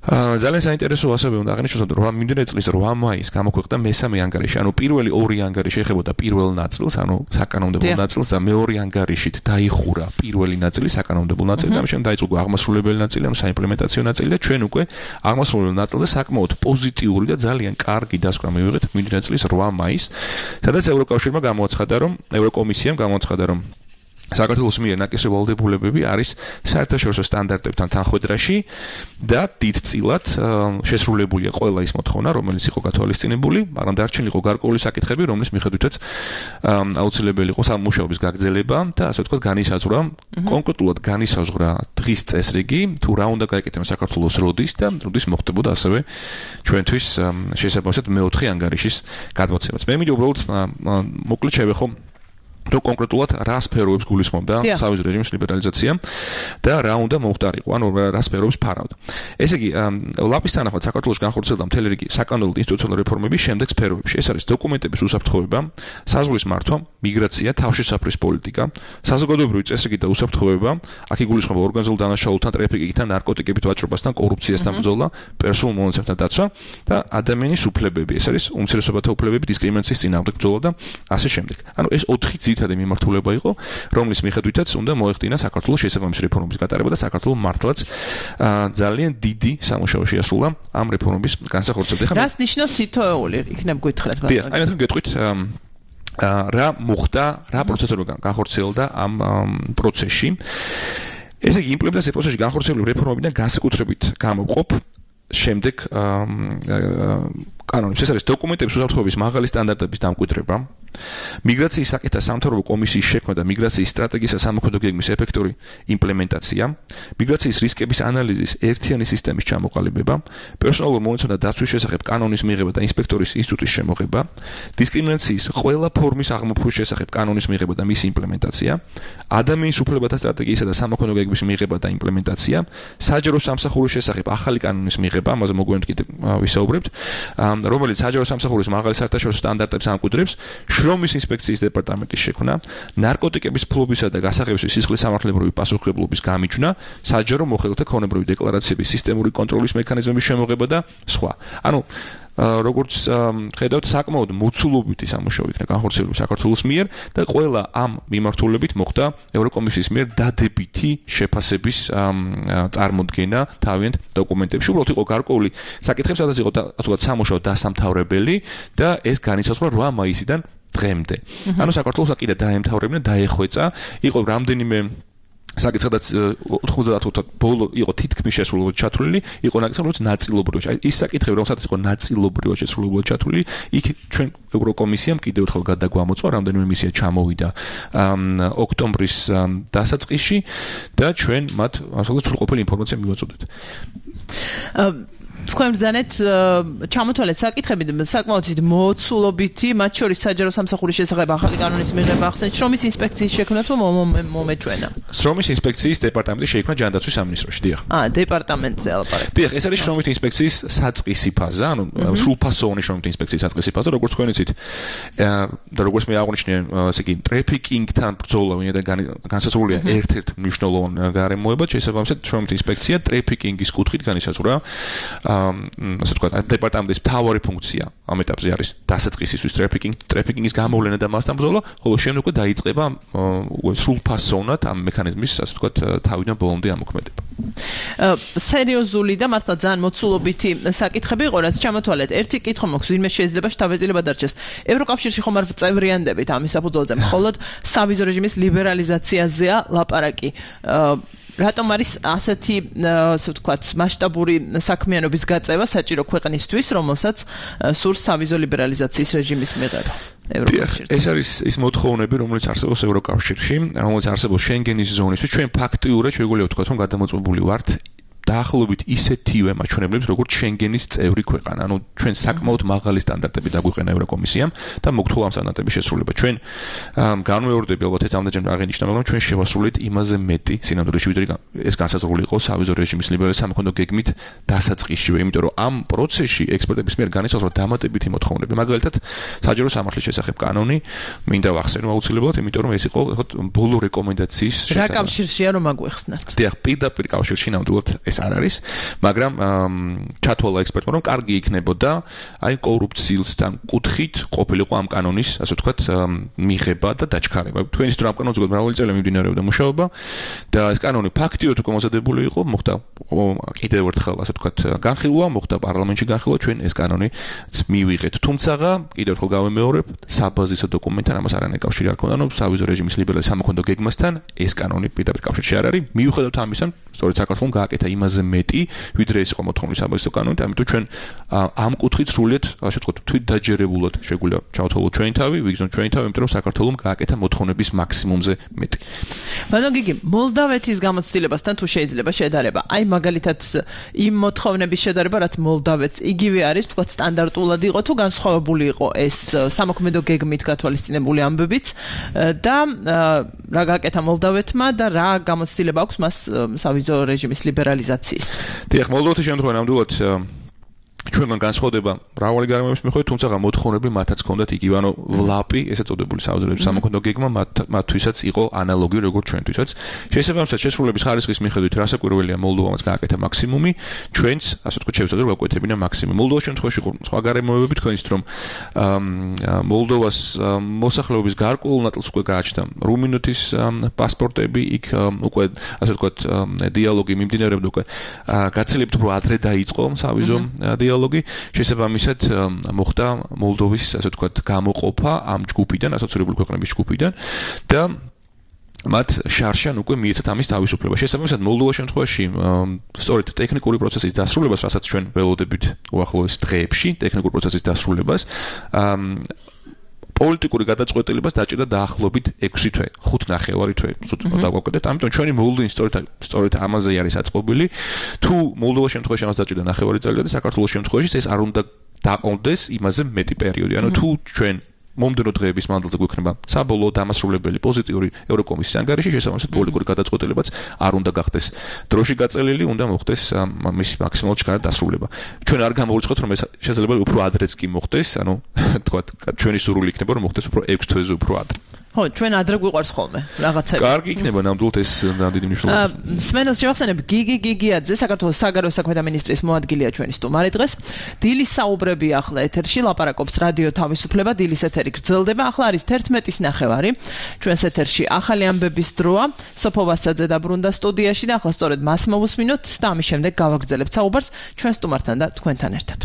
ძალიან საინტერესო ასევე უნდა აღნიშნოს, რომ მიმდინარე წლის რვა მაისს გამოქვეყნდა მესამე ანგარიში, ანუ პირველი ორი ანგარიში ეხებოდა პირველ ნაწილს, ანუ საკანონმდებლო ნაწილს და მეორე ანგარიშით დაიხურა პირველი ნაწილი, საკანონმდებლო ნაწილი და ამის შემდეგ დაიწყო აღმასრულებელი ნაწილი, ანუ საიმპლემენტაციო ნაწილი და ჩვენ უკვე აღმასრულებელ ნაწილზე საკმაოდ პოზიტიური და ძალიან კარგი დასკვნა მივიღეთ მიმდინარე წლის რვა მაისს, სადაც ევროკავშირმა გამოაცხადა, რომ ევროკომისიამ გამოაცხადა, რომ საქართველოს მიერ ნაკისი ვალდებულებები არის საერთაშორისო სტანდარტებთან თანხვედრაში და დიდწილად შესრულებულია ყველა ის მოთხოვნა, რომელიც იყო გათვალისწინებული, მაგრამ დარჩენილი იყო გარკვეული საკითხები, რომლის მიხედვითაც აუცილებელი იყო სამუშაობის გაგრძელება და ასე ვთქვათ განისაზღვრა, კონკრეტულად განისაზღვრა დღის წესრიგი, თუ რა უნდა გაეკეთება საქართველოს როდის და როდის მოხდებოდა ასევე ჩვენთვის შესაბამისად მეოთხე ანგარიშის გადმოცემაც. მე მინდა უბრალოდ მოკლედ შევეხო თუ კონკრეტულად რა სფეროებს გულისხმობდა სავიზო რეჟიმის ლიბერალიზაცია და რა უნდა მოხდარიყო, ანუ რა სფეროებს ფარავდა. ესე იგი, ვლაპის თანახმად საქართველოში განხორციელდა მთელი რიგი საკანონმდებლო და ინსტიტუციონალური რეფორმები შემდეგ სფეროებში. ეს არის დოკუმენტების უსაფრთხოება, საზღვრის მართვა, მიგრაცია, თავშესაფრის პოლიტიკა, საზოგადოებრივი წესრიგი და უსაფრთხოება, აქ იგულისხმება ორგანიზებულ დანაშაულთან, ტრაფიკინგთან, ნარკოტიკებით ვაჭრობასთან, კორუფციასთან ბრძოლა, პერსონალურ მონაცემთა დაცვა და ადამიანის უფლებები. ეს არის უმცირესობათა უფლებები, დისკრიმინაციის წინააღმდეგ ბრძოლა და ასე შემდეგ. ანუ ეს ოთხი ძირითადი მიმართულება იყო, რომლის მიხედვითაც უნდა მოეხდინა საქართველოს შესაბამის რეფორმების გატარება და საქართველოს მართლაც ძალიან დიდი სამუშაო შეასრულა ამ რეფორმების განსახორციელებლად. რას ნიშნავს თითოეული? იქნებ გითხრათ ბატონო. აი მე გეტყვით რა მოხდა, რა პროცესები განხორციელდა ამ პროცესში. ესე იგი, იმპლემენტაციის პროცესში განხორციელებული რეფორმებიდან განსაკუთრებით გამოვყოფ შემდეგ კანონებს. ეს არის დოკუმენტების უსაფრთხოების მაღალი სტანდარტების დამკვიდრება, მიგრაციის საკითხთა სამთავრობო კომისიის შექმნა და მიგრაციის სტრატეგიისა სამოქმედო გეგმის ეფექტური იმპლემენტაცია, მიგრაციის რისკების ანალიზის ერთიანი სისტემის ჩამოყალიბება, პერსონალურ მონაცემთა დაცვის შესახებ კანონის მიღება და ინსპექტორის ინსტიტუტის შემოღება, დისკრიმინაციის ყველა ფორმის აღმოფხვის შესახებ კანონის მიღება და მისი იმპლემენტაცია, ადამიანის უფლებათა სტრატეგიისა და სამოქმედო გეგმის მიღება და იმპლემენტაცია, საჯარო სამსახურის შესახებ ახალი კანონის მიღება, ამაზე მოგვიანებით კიდევ ვისაუბრებთ, რომელიც საჯარო სამსახურის მაღალი საერთაშორისო სტანდარტებს ამკვიდრებს, შრომის ინსპექციის დეპარტამენტის შექმნა, ნარკოტიკების ფლობისა და გასაღებების სისხლის სამართლებრივი პასუხისმგებლობის გამიჯვნა, საჯარო მოხელეთა ქონებრივი დეკლარაციების სისტემური კონტროლის მექანიზმების შემოღება და სხვა. ანუ როგორც ხედავთ, საკმაოდ მოცულობითი სამუშაო იქნა განხორციელებული საქართველოს მიერ და ყველა ამ მიმართულებით მოხდა ევროკომისიის მიერ დადებითი შეფასების წარმოდგენა თავიანთ დოკუმენტებში. უბრალოდ იყო გარკვეული საკითხები, სადაც იყო თუნდაც სამუშაო დასამთავრებელი და ეს განიცადა რვა მაისიდან დღემდე. ანუ საქართველოს კიდე დაემთავრებინა, დაეხვეწა, იყო რამდენიმე საკითხადაც ოთხმოცდაათი ბოლო იყო თითქმის შესრულებულად ჩათვლილი, იყო ნაკლებად ნაწილობრივად. აი ის საკითხები, რომელსაც იყო ნაწილობრივად შესრულებულად ჩათვლილი, იქ ჩვენ ევროკომისიამ კიდევ ერთხელ გადაგვამოწვა, რამდენიმე მისია ჩამოვიდა ოქტომბრის დასაწყისში და ჩვენ მათ ასলে სრულყოფილი ინფორმაცია მივაწოდეთ. თქვენ ბრძანეთ ჩამოთვალეთ საკითხები საკმაოდ მოცულობითი, მათ შორის საჯარო სამსახურის შესახებ ახალი კანონის მიღება, ახსენეთ შრომის ინსპექციის შექმნა თუ მომეჩვენა. შრომის ინსპექციის დეპარტამენტის შექმნა ჯანდაცვის სამინისტროში, დიახ. აა, დეპარტამენტზე ალაპარაკეთ. დიახ, ეს არის შრომის ინსპექციის საწყისი ფაზა, ანუ სრულფასოვანი შრომის ინსპექციის საწყისი ფაზა, როგორც თქვენ იცით. და როგორც მე აღნიშნე, ესე იგი, ტრეფიკინგთან ბრძოლა ვინაიდან განსაზღვრულია ერთ-ერთ მნიშვნელოვან გარემოებად, შესაბამისად შრომის ინსპექცია ტრეფიკინგის კუთხით განისაზღვრა ასე ვთქვათ, დეპარტამენტის მთავარი ფუნქცია ამ ეტაპზე არის დასაწყისისთვის ტრეფიკინგ, ტრეფიკინგის გამოვლენა და მასთან ბრძოლა, ხოლო შემდეგ უკვე დაიწყება სრულფასოვნად ამ მექანიზმის, ასე ვთქვათ, თავიდან ბოლომდე ამოქმედება. სერიოზული და მართლა ძალიან მოცულობითი საკითხები იყო, რაც ჩამოთვალეთ. ერთი კითხვა მაქვს, ვინმე შეიძლება შთაბეჭდილება დარჩეს. ევროკავშირში ხომ არ წევრიანდებით ამის საფუძველზე, მხოლოდ სავიზო რეჟიმის ლიბერალიზაციაზეა ლაპარაკი. რატომ არის ასეთი, ასე ვთქვათ, მასშტაბური საქმიანობის გაწევა საჭირო ქვეყნისთვის, რომელსაც სურს სავიზო ლიბერალიზაციის რეჟიმის მიღება? ეს არის ის მოთხოვნები, რომელიც არსებობს ევროკავშირში, რომელიც არსებობს შენგენის ზონისთვის. ჩვენ ფაქტიურად შეგვიძლია ვთქვათ, რომ გადამოწმებული ვართ დაახლოებით ისეთივე მაჩვენებლებს, როგორც შენგენის წევრი ქვეყანა. ანუ ჩვენ საკმაოდ მაღალი სტანდარტები დაგვიყენა ევროკომისიამ და მოგთხოვა ამ სტანდარტების შესრულება. ჩვენ განმეორდები ალბათ ეს ამდენჯერ აღინიშნა, მაგრამ ჩვენ შევასრულეთ იმაზე მეტი სინამდვილეში, ვიდრე ეს განსაზღვრული იყო სავიზო რეჟიმის ლიბერალიზაციის სამოქმედო გეგმით დასაწყისშივე, იმიტომ რომ ამ პროცესში ექსპერტების მიერ განისაზღვრა დამატებითი მოთხოვნები. მაგალითად, საჯარო სამართლის შესახებ კანონი მინდა ვახსენო აუცილებლად, იმიტომ რომ ეს იყო ბოლო რეკომენდაციის შესახებ. რა კავშირშია რომ აგვეხსნათ? დიახ, პირდაპირ კავშირში ნამდვილად ეს არ არის, მაგრამ ჩათვალა ექსპერტმა, რომ კარგი იქნებოდა აი კორუფციისთან კუთხით ყოფილიყო ამ კანონის, ასე ვთქვათ, მიღება და დაჩქარება. თქვენ იცით, რომ ამ კანონზე მრავალი წელი მიმდინარეობდა მუშაობა და ეს კანონი ფაქტიურად უკვე მოსადებული იყო, მოხდა კიდევ ერთხელ, ასე ვთქვათ, განხილვა, მოხდა პარლამენტში განხილვა, ჩვენ ეს კანონიც მივიღეთ. თუმცა კიდევ ერთხელ გავემეორებ, საბაზისო დოკუმენტთან ამას არანაირი კავშირი არ ქონდა, რომ სავიზო რეჟიმის ლიბერალიზაციის სამოქმედო გეგმასთან ეს კანონი პირდაპირ კავშირში არ არის. მიუხედავად ამისა, სწორედ საქართველოს გააკეთა იმაზე მეტი, ვიდრე ეს იყო მოთხოვნის საბაზისო კანონით, ამიტომ ჩვენ ამ კუთხით სრულიად, ასე ვთქვათ, თვითდაჯერებულად შეგვიძლია ჩავთვალოთ ჩვენი თავი, ვიგრძნოთ ჩვენი თავი, იმიტომ რომ საქართველოს გააკეთა მოთხოვნების მაქსიმუმზე მეტი. ბატონო გიგი, მოლდავეთის გამოცდილებასთან თუ შეიძლება შედარება? აი მაგალითად იმ მოთხოვნების შედარება, რაც მოლდავეთს იგივე არის, ვთქვათ, სტანდარტულად იყო თუ განსხვავებული იყო ეს სამოქმედო გეგმით გათვალისწინებული ამბებიც და რა გააკეთა მოლდავეთმა და რა გამოცდილება აქვს მას სავიზო რეჟიმის ლიბერალიზაციის? დიახ, მოლდოვეთის შემთხვევაში ნამდვილად ჩვენგან განსხვავდება მრავალი გარემოების მიხედვით, თუმცა მოთხოვნები მათაც ჰქონდათ იგივე, ანუ ვლაპი, ესე წოდებული სავიზო რეჟიმის სამოქმედო გეგმა მათთვისაც იყო ანალოგიური როგორც ჩვენთვისაც. შესაბამისად, შესრულების ხარისხის მიხედვით რასაკვირველია მოლდოვამაც გააკეთა მაქსიმუმი, ჩვენც, ასე ვთქვათ, შევეცადეთ რომ გავკვეთებინა მაქსიმუმი. მოლდოვას შემთხვევაში იყო სხვა გარემოებები, თქვენ იცით რომ მოლდოვას მოსახლეობის გარკვეულ ნაწილს უკვე გააჩნდა რუმინეთის პასპორტები, იქ უკვე, ასე ვთქვათ, დიალოგი მიმდინარეობდა უკვე გაცილებით უფრო ადრე დაიწყო სავიზო დიალოგი. შესაბამისად მოხდა მოლდოვის, ასე ვთქვათ, გამოყოფა ამ ჯგუფიდან, ასოცირებული ქვეყნების ჯგუფიდან და მათ შარშან უკვე მიეცათ ამის თავისუფლება. შესაბამისად, მოლდოვას შემთხვევაში სწორედ ტექნიკური პროცესის დასრულებას, რასაც ჩვენ ველოდებით უახლოეს დღეებში, ტექნიკური პროცესის დასრულებას პოლიტიკური გადაწყვეტილებას დაჭირდა დაახლოებით ექვსი თვე, ხუთ ნახევარი თვე, ზუსტ დაგვაკვეთეთ. ამიტომ ჩვენი მოლოდინი სწორედ სწორედ ამაზე არის აწყობილი. თუ მოლდოვას შემთხვევაში ამას დაჭირდა ნახევარი წელი და საქართველოს შემთხვევაში ეს არ უნდა დაყოლდეს იმაზე მეტი პერიოდი. ანუ თუ ჩვენ მომდენო დღეების მანძილზე გვექნება საბოლოო დამასრულებელი პოზიტიური ევროკომისიის ანგარიში, შესაბამისად პოლიტიკური გადაწყვეტილებაც არ უნდა გახდეს დროში გაწელილი, უნდა მოხდეს მის მაქსიმალურად ჩქარა დასრულება. ჩვენ არ გამოვიწყოთ, რომ ეს შესაძლოა უფრო ადრეც კი მოხდეს, ანუ თქვა ჩვენი სურვილი იქნება, რომ მოხდეს უფრო ექვს თვეზე უფრო ადრე. ხო, ჩვენ ადრე გვიყვარს ხოლმე რაღაცები. კარგი იქნება ნამდვილად ეს დიდი მნიშვნელობა. სმენელს შევახსენებ გიგი გიგიაძე, საქართველოს საგარეო საქმეთა მინისტრის მოადგილეა ჩვენი სტუმარი დღეს. დილის საუბრები ახლა ეთერში, ლაპარაკობს რადიო თავისუფლება, დილის ეთერი გრძელდება. ახლა არის თერთმეტის ნახევარი. ჩვენს ეთერში ახალი ამბების დროა. სოფო ვასაძე დაბრუნდა სტუდიაში და ახლა სწორედ მას მოვუსმინოთ და ამის შემდეგ გავაგრძელებთ საუბარს ჩვენ სტუმართან და თქვენთან ერთად.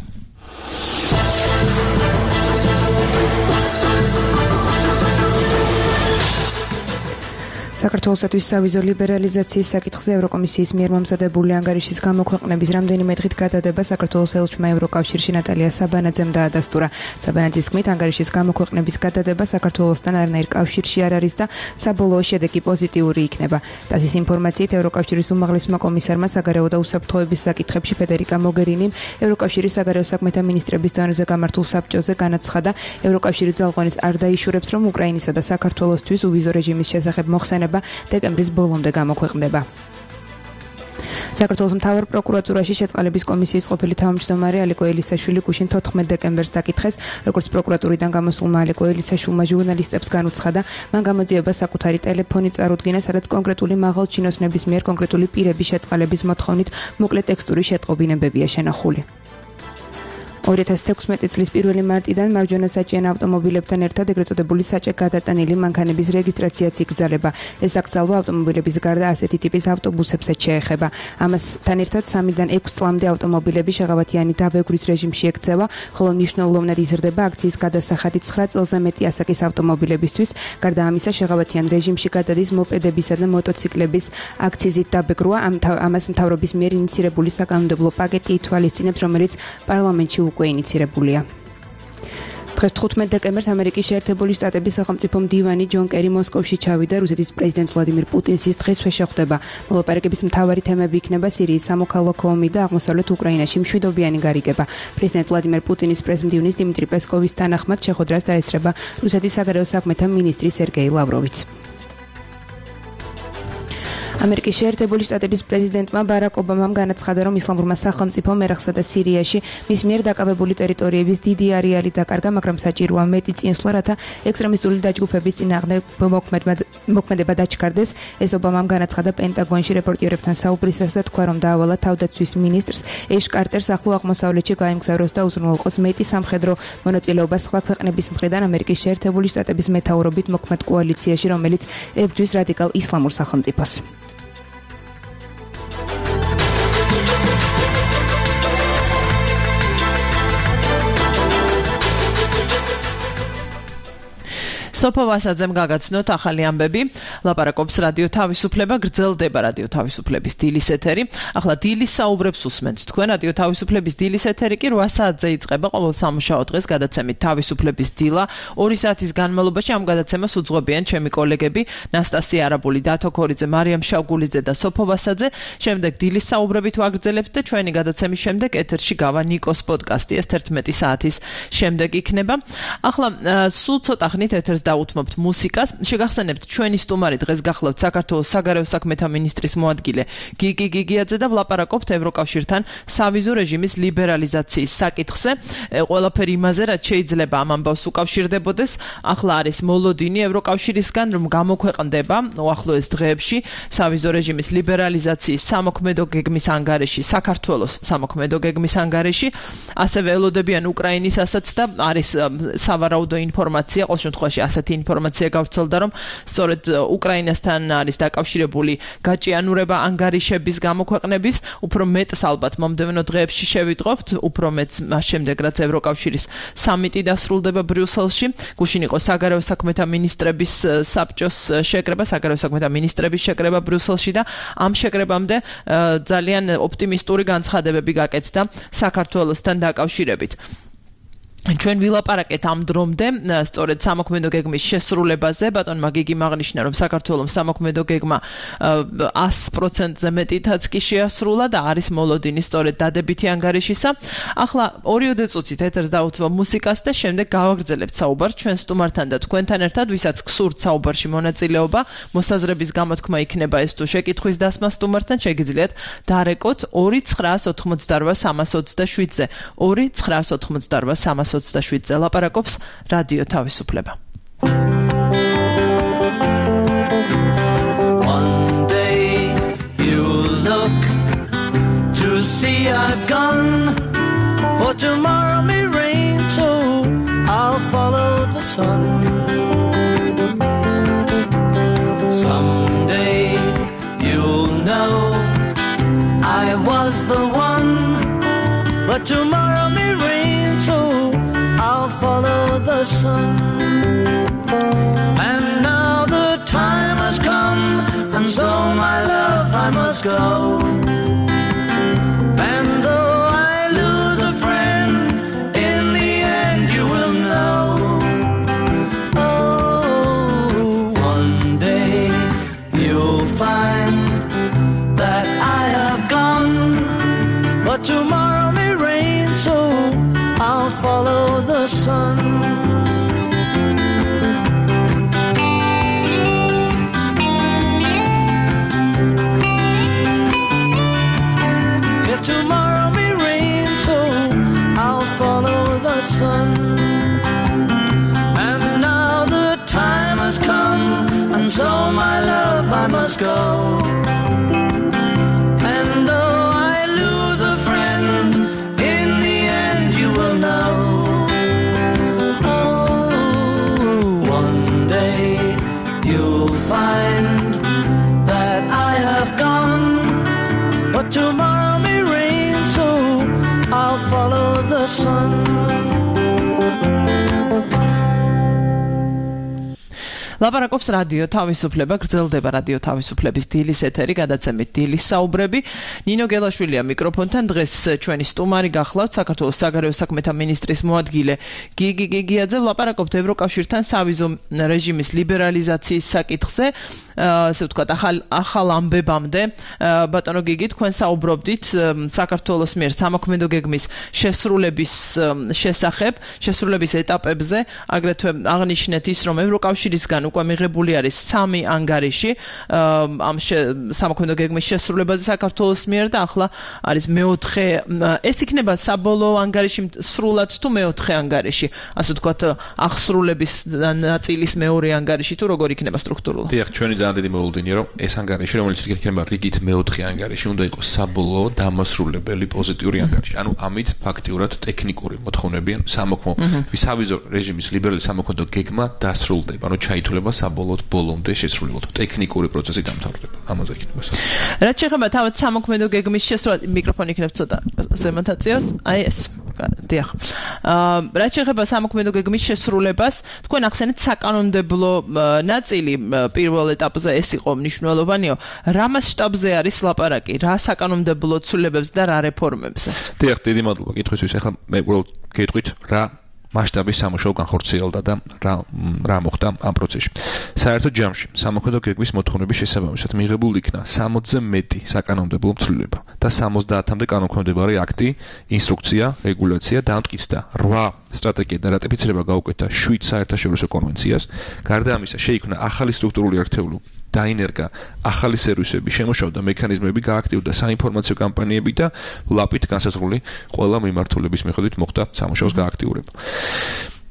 საქართველოსთვის სავიზო ლიბერალიზაციის საკითხზე ევროკომისიის მიერ მომზადებული ანგარიშის გამოქვეყნების რამდენიმე დღით გადადება საქართველოს ელჩმა ევროკავშირში ნატალია საბანაძემ დაადასტურა. საბანაძის თქმით, ანგარიშის გამოქვეყნების გადადება საქართველოსთან არანაირ კავშირში არ არის და საბოლოო შედეგი პოზიტიური იქნება. ტასის ინფორმაციით, ევროკავშირის უმაღლესმა კომისარმა საგარეო და უსაფრთხოების საკითხებში ფედერიკა მოგერინიმ ევროკავშირის საგარეო საქმეთა მინისტრების დონეზე გამართულ საბჭოზე განაცხადა, ევროკავშირი ძალღონის არ დაიშურებს, რომ უკრაინისა და საქართველოსთვის უვიზო რეჟიმის შესახებ მოხსენება დეკემბრის ბოლომდე გამოქვეყნდება. საქართველოს მთავარ პროკურატურაში შეწყალების კომისიის ყოფილი თავმჯდომარე ალეკო ელისაშვილი გუშინ თოთხმეტ დეკემბერს დაკითხეს, როგორც პროკურატურიდან გამოსულმა ალეკო ელისაშვილმა ჟურნალისტებს განუცხადა, მან გამოძიება საკუთარი ტელეფონი წარუდგინა, სადაც კონკრეტული მაღალ ჩინოსნების მიერ კონკრეტული პირების შეწყალების მოთხოვნით მოკლე ტექსტური შეტყობინებებია შენახული. ორი ათას თექვსმეტი წლის პირველი მარტიდან მარჯვენა საჭიენ ავტომობილებთან ერთად ეგრეთ წოდებული საჭე გადატანილი მანქანების რეგისტრაციაც იკრძალება. ეს აკრძალვა ავტომობილების გარდა ასეთი ტიპის ავტობუსებსაც შეეხება. ამასთან ერთად სამიდან ექვს წლამდე ავტომობილები შეღავათიანი დაბეგვრის რეჟიმში ექცევა, ხოლო მნიშვნელოვნად იზრდება აქციის გადასახადი ცხრა წელზე მეტი ასაკის ავტომობილებისთვის. გარდა ამისა, შეღავათიან რეჟიმში გადადის მოპედებისა და მოტოციკლების აქციზით დაბეგრვა. ამას მთავრობის მიერ ინიცირებული საკანონმდებლო პაკეტი ითვალისწინებს, რომელიც პარლამენტში უკვე ინიცირებულია. დღეს თხუთმეტ დეკემბერს ამერიკის შეერთებული შტატების სახელმწიფო მდივანი ჯონ კერი მოსკოვში ჩავიდა. რუსეთის პრეზიდენტ ვლადიმირ პუტინს ის დღესვე შეხვდება. მოლაპარაკების მთავარი თემები იქნება სირიის სამოქალაქო ომი და აღმოსავლეთ უკრაინაში მშვიდობიანი გარიგება. პრეზიდენტ ვლადიმირ პუტინის პრეზმდივნის დიმიტრი პესკოვის თანახმად შეხვედრას დაესწრება რუსეთის საგარეო საქმეთა მინისტრი სერგეი ლავროვიც. ამერიკის შეერთებული შტატების პრეზიდენტმა ბარაკ ობამამ განაცხადა, რომ ისლამურმა სახელმწიფომ ერაყსა და სირიაში მის მიერ დაკავებული ტერიტორიების დიდი არეალი დაკარგა, მაგრამ საჭიროა მეტი წინსვლა, რათა ექსტრემისტული დაჯგუფების წინააღმდეგ მოქმედება დაჩქარდეს. ეს ობამამ განაცხადა პენტაგონში რეპორტიერებთან საუბრისას და თქვა, რომ დაავალა თავდაცვის მინისტრს ეშ კარტერს ახლო აღმოსავლეთში გაემგზავროს და უზრუნველყოს მეტი სამხედრო მონაწილეობა სხვა ქვეყნების მხრიდან ამერიკის შეერთებული შტატების მეთაურობით მოქმედ კოალიციაში, რომელიც ებრძვის რადიკალ ისლამურ სახელმწიფოს. სოფო ვასაძემ გაგაცნოთ ახალი ამბები. ლაპარაკობს რადიო თავისუფლება, გრძელდება რადიო თავისუფლების დილის ეთერი. ახლა დილის საუბრებს უსმენთ თქვენ. რადიო თავისუფლების დილის ეთერი კი რვა საათზე იწყება ყოველ სამუშაო დღეს გადაცემით თავისუფლების დილა. ორი საათის განმავლობაში ამ გადაცემას უძღვებიან ჩემი კოლეგები ნასტასია არაბული, დათო ქორიძე, მარიამ შავგულიძე და სოფო ვასაძე. შემდეგ დილის საუბრებით ვაგრძელებთ და ჩვენი გადაცემის შემდეგ ეთერში გავა ნიკოს პოდკასტი. ეს თერთმეტი საათის შემდეგ იქნება. ახლა სულ ცოტა ხნით ეთერს დაუთმობთ მუსიკას. შეგახსენებთ, ჩვენი სტუმარი დღეს გახლავთ საქართველოს საგარეო საქმეთა მინისტრის მოადგილე გიგი გიგიაძე და ვლაპარაკობთ ევროკავშირთან სავიზო რეჟიმის ლიბერალიზაციის საკითხზე. ყველაფერი იმაზე, რაც შეიძლება ამ ამბავს უკავშირდებოდეს. ახლა არის მოლოდინი ევროკავშირისგან, რომ გამოქვეყნდება უახლოეს დღეებში სავიზო რეჟიმის ლიბერალიზაციის სამოქმედო გეგმის ანგარიში, საქართველოს სამოქმედო გეგმის ანგარიში. ასევე ელოდებიან უკრაინისასაც და არის სავარაუდო ინფორმაცია, ყოველ შემთხვევაში ასეთი ინფორმაცია გავრცელდა, რომ სწორედ უკრაინასთან არის დაკავშირებული გაჭიანურება ანგარიშების გამოქვეყნების. უფრო მეტს ალბათ მომდევნო დღეებში შევიტყობთ, უფრო მეტს მას შემდეგ, რაც ევროკავშირის სამიტი დასრულდება ბრიუსელში. გუშინ იყო საგარეო საქმეთა მინისტრების საბჭოს შეკრება, საგარეო საქმეთა მინისტრების შეკრება ბრიუსელში და ამ შეკრებამდე ძალიან ოპტიმისტური განცხადებები გაკეთდა საქართველოსთან დაკავშირებით. ჩვენ ვილაპარაკეთ ამ დრომდე სწორედ სამოქმედო გეგმის შესრულებაზე. ბატონმა გიგიმ აღნიშნა, რომ საქართველოს სამოქმედო გეგმა one hundred percent-ზე მეტითაც კი შეასრულა და არის მოლოდინი სწორედ დადებითი ანგარიშისა. ახლა ორიოდე წუთით ეთერს დავუთმო მუსიკას და შემდეგ გავაგრძელებთ საუბარს ჩვენ სტუმართან და თქვენთან ერთად, ვისაც გსურთ საუბარში მონაწილეობა, მოსაზრების გამოთქმა იქნება ეს თუ შეკითხვის დასმა სტუმართან, შეგიძლიათ დარეკოთ two nine ოთხმოცდაosem სამას ოცდაშვიდზე. two nine ოთხმოცდაosem სამას ოცდაშვიდზე ლაპარაკობს რადიო თავისუფლება. One day you'll look to see I've gone, for tomorrow may rain, so I'll follow the sun. Someday you'll know I was the one, but tomorrow may rain, so I'll follow the sun. And now the time has come, and so my love I must go. And though I lose a friend, in the end you will know. Oh, one day you'll find that I have gone, but tomorrow may rain, so I'll follow the sun. Yeah, tomorrow may rain, so I'll follow the sun. And now the time has come, and so my love I must go. And though I lose a friend, in the end you will know. Oh, one day you'll find that I have gone, but tomorrow may rain, so I'll follow the sun. ლაპარაკობს რადიო თავისუფლება, გრძელდება რადიო თავისუფლების დილის ეთერი, გადაცემით დილის საუბრები. ნინო გელაშვილია მიკროფონთან, დღეს ჩვენი სტუმარი გახლავთ საქართველოს საგარეო საქმეთა მინისტრის მოადგილე გიგი გიგიაძე. ლაპარაკობთ ევროკავშირთან სავიზო რეჟიმის ლიბერალიზაციის საკითხზე, ასე ვთქვათ, ახალ ახალ ამბებამდე. ბატონო გიგი, თქვენ საუბრობდით საქართველოს მიერ სამოქმედო გეგმის შესრულების შესახებ, შესრულების ეტაპებზე, აგრეთვე აღნიშნეთ ის, რომ ევროკავშირისგან უკვე მიღებული არის სამი ანგარიში ამ სამოქმედო გეგმის შესრულებაზე საქართველოს მიერ და ახლა არის მეოთხე. ეს იქნება საბოლოო ანგარიში სრულად თუ მეოთხე ანგარიში, ასე ვთქვათ, აღსრულების ნაწილის მეორე ანგარიში თუ როგორ იქნება სტრუქტურულად? დიახ, ჩვენი ძალიან დიდი მოლოდინია, რომ ეს ანგარიში, რომელიც იქნება რიგით მეოთხე ანგარიში, უნდა იყოს საბოლოო დამასრულებელი პოზიტიური ანგარიში. ანუ ამით ფაქტიურად ტექნიკური მოთხოვნები, სამოქმო ვისავიზო რეჟიმის ლიბერალი სამოქმედო გეგმა დასრულდება, ანუ ჩაითვლება საბოლოოდ ბოლომდე შესრულებად. ტექნიკური პროცესი დამთავრდება. ამაზე იქნება. რაც შეეხება თავად სამოქმედო გეგმის შესრულებას, მიკროფონი იქნება ცოტა ზემოთაწიოთ. აი ეს. დიახ. აა რაც შეეხება სამოქმედო გეგმის შესრულებას, თქვენ ახსენეთ საკანონმდებლო ნაწილი პირველ ეტაპზე ეს იყო მნიშვნელოვანიო. რა მასშტაბზე არის ლაპარაკი? რა საკანონმდებლო ცვლილებებზე და რა რეფორმებზე? დიახ, დიდი მადლობა კითხვისთვის. ახლა მე უბრალოდ გეტყვით რა მასშტაბის სამუშაო განხორციელდა და რა რა მოხდა ამ პროცესში. საერთოდ ჯამში სამოქმედო გეგმის მოთხოვნების შესაბამისად მიღებულ იქნა სამოცზე მეტი საკანონმდებლო ცვლილება და სამოცდაათამდე კანონქვემდებარე აქტი, ინსტრუქცია, რეგულაცია და ამტკიცდა რვა სტრატეგია და რატიფიცირება გაუკეთა შვიდ საერთაშორისო კონვენციას. გარდა ამისა, შეიქმნა ახალი სტრუქტურული ერთეული დაინერგა ახალი სერვისები, შემოშავდა მექანიზმები, გააქტიურდა საინფორმაციო კამპანიები და ლაპით განსაზღვრული ყველა მიმართულების მიხედვით მოხდა სამუშაოს გააქტიურება.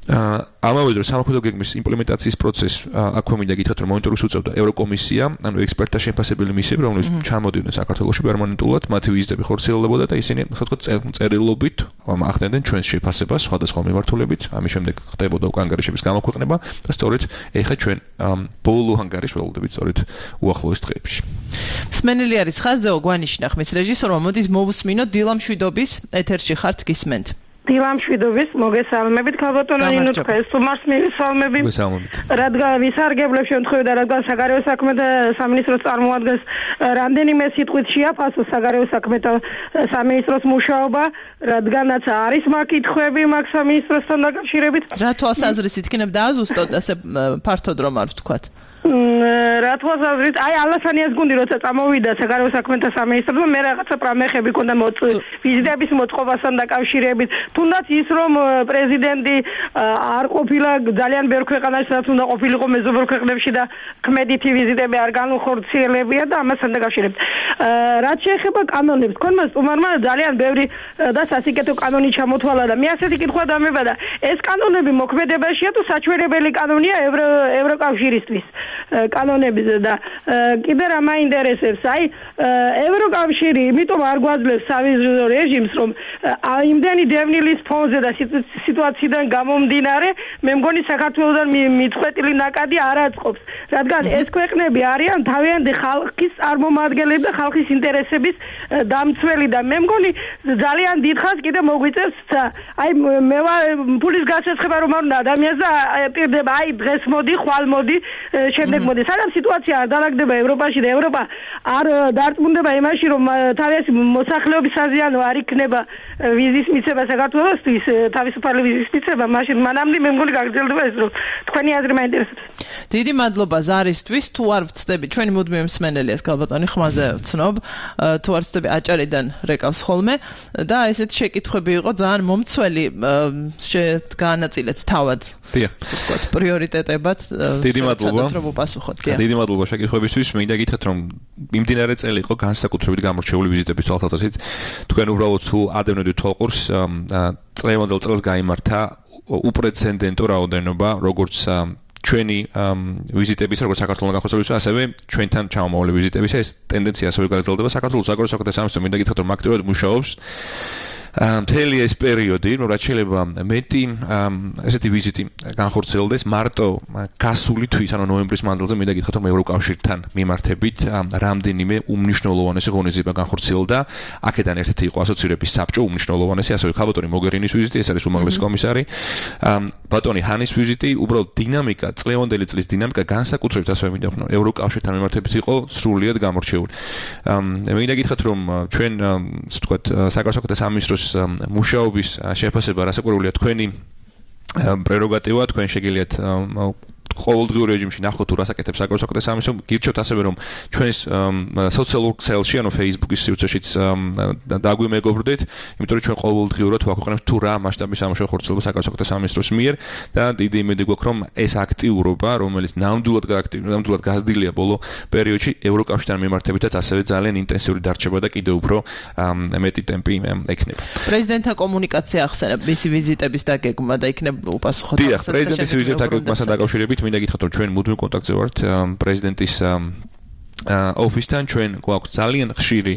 ამავე დროს სამოქმედო გეგმის იმპლემენტაციის პროცესს აქვე მინდა გითხრათ, რომ მონიტორინგს უწევდა ევროკომისია, ანუ ექსპერტთა შემფასებელი მისიები, რომლებიც ჩამოდიოდნენ საქართველოში პერმანენტულად, მათი ვიზიტები ხორციელდებოდა და ისინი, ასე ვთქვათ, წერილობით ახდენდნენ ჩვენს შეფასებას სხვადასხვა მიმართულებით. ამის შემდეგ ხდებოდა უკვე ანგარიშების გამოქვეყნება და სწორედ ეხლა ჩვენ ბოლო ანგარიშს ველოდებით სწორედ უახლოეს დღეებში. მსმენელი არის ხაზზე, გვანიშნა ხმის რეჟისორმა, მოდით მოვუსმინოთ დილა მშვიდობის ეთერში ხართ გისმენთ. დილამშვიდობის მოგესალმებით ქალბატონო ნინო თქვენს თუმარს მივესალმები რადგან ვისარგებლებ შემთხვევით რადგან საგარეო საქმეთა სამინისტროს წარმოადგენს რამდენიმე სიტყვით შეაფასო საგარეო საქმეთა სამინისტროს მუშაობა რადგანაც არის მაგ კითხვები მაგ სამინისტროსთან დაკავშირებით რა თვალსაზრისით იქნებ დააზუსტოთ ასე ფართოდ რომ არ ვთქვათ რა თვალსაზრისით აი ალასანიას გუნდი როცა წამოვიდა საგარეო საქმეთა სამინისტროსთან მე რაღაცა პრამეხები ქონდა ვიზიტების მოწყობასთან დაკავშირებით თუნდაც ის რომ პრეზიდენტი არ ყოფილა ძალიან ბევრ ქვეყანაში სადაც უნდა ყოფილიყო მეზობელ ქვეყნებში და ქმედითი ვიზიტები არ განუხორციელებია და ამასთან დაკავშირებით რაც შეეხება კანონებს თქვენმა სტუმარმა ძალიან ბევრი და სასიკეთო კანონი ჩამოთვალა და მე ასეთი კითხვა დამებადა ეს კანონები მოქმედებაშია თუ საჩვენებელი კანონია ევროკავშირისთვის კანონების და კიდე რა მაინტერესებს აი ევროკავშირი იმიტომ არ გვაძლევს სავიზო რეჟიმს რომ იმდენი დევნილის ფონზე და სიტუაციიდან გამომდინარე მე მგონი საქართველოსთან მიწყვეტილი ნაკადი არ აწყობს რადგან ეს ქვეყნები არიან თავიანთი ხალხის წარმომადგენლები და ხალხის ინტერესების დამცველი და მე მგონი ძალიან დიდხანს კიდე მოგვიწევს აი მე ფულის გასაცხება რომ არ უნდა ადამიანს და პირდება აი დღეს მოდი ხვალ მოდი შემდეგ მოდი სანამ სიტუაცია არ დაალაგდება ევროპაში და ევროპა არ დარწმუნდება იმაში რომ თავისი მოსახლეობის საზიანო არ იქნება ვიზის მიცემა საქართველოსთვის თავისუფალი ვიზის მიცემა მაშინ მანამდე მე მგონი გაგრძელდება ეს რომ თქვენი აზრი მაინტერესებს დიდი მადლობა ზარისთვის თუ არ ვწდები ჩვენი მუდმივი მსმენელიას ქალბატონი ხმაზე ვცნობ თუ არ ვწდები აჭარიდან რეკავს ხოლმე და ესეთ შეკითხვები იყო ძალიან მომცველი განაწილეთ თავად ვთქვათ პრიორიტეტებად დიდი მადლობა რომ უპასუხოთ დიდი მადლობა შეკითხვებისთვის მინდა გითხრათ რომ მიმდინარე წელი იყო განსაკუთრებით გამორჩეული ვიზიტების თვალსაზრისით თქვენ უბრალოდ თუ ადევნებდით თვალყურს წლევანდელ წელს გაიმართა უპრეცედენტო რაოდენობა როგორც ჩვენი ვიზიტების როგორც საქართველოს განხორციელების ასევე ჩვენთან ჩამომავალი ვიზიტების ეს ტენდენცია ასევე გაგრძელდება საქართველოს საგარეო საქმეთა სამინისტრო მინდა გითხრათ რომ აქტიურად მუშაობს მთელი ეს პერიოდი, რომ რაც შეიძლება მეტი ესეთი ვიზიტი განხორციელდეს მარტო გასული თვის, ანუ ნოემბრის მანძილზე მინდა გითხრათ რომ ევროკავშირთან მიმართებით რამდენიმე უმნიშვნელოვანესი ღონისძიება განხორციელდა. აქედან ერთ-ერთი იყო ასოცირების საბჭო უმნიშვნელოვანესი, ასევე ქალბატონი მოგერინის ვიზიტი, ეს არის უმაღლესი კომისარი. ბატონი ჰანის ვიზიტი, უბრალოდ დინამიკა, წლევანდელი წლის დინამიკა განსაკუთრებით ასევე მინდა ვთქვა, ევროკავშირთან მიმართებით იყო სრულიად გამორჩეული. მინდა გითხრათ რომ ჩვენ ასე ვთქვათ, საგარეო საქმეთა სამინისტროს მუშაობის შეფასება რასაკვირველია თქვენი პრეროგატივა, თქვენ შეგიძლიათ ყოველდღიურ რეჟიმში ნახოთ თუ რასაკეთებს საგარეო საქმეთა სამინისტრო. გირჩევთ ასევე რომ ჩვენს სოციალურ ქსელში, ანუ Facebook-ის სივრცეშიც დაგვიმეგობრდეთ, იმიტომ რომ ჩვენ ყოველდღიურად ვაქვეყნებთ თუ რა მასშტაბის სამუშაო ხორციელდება საგარეო საქმეთა სამინისტროს მიერ და დიდი იმედი გვაქვს რომ ეს აქტიურობა, რომელიც ნამდვილად ნამდვილად გაზრდილია ბოლო პერიოდში ევროკავშირთან მიმართებითაც ასევე ძალიან ინტენსიური დარჩება და კიდევ უფრო მეტი ტემპი ექნება. პრეზიდენტთან კომუნიკაცია ახსენებ მისი ვიზიტების დაგეგმა და იქნებ უპასუხოთ. დიახ, პრეზიდენტის ვიზიტთან დაგეგმასთან დაკავშირებით მინდა გითხრათ რომ ჩვენ მუდმივ კონტაქტზე ვართ პრეზიდენტის ოფისთან ჩვენ გვაქვს ძალიან ხშირი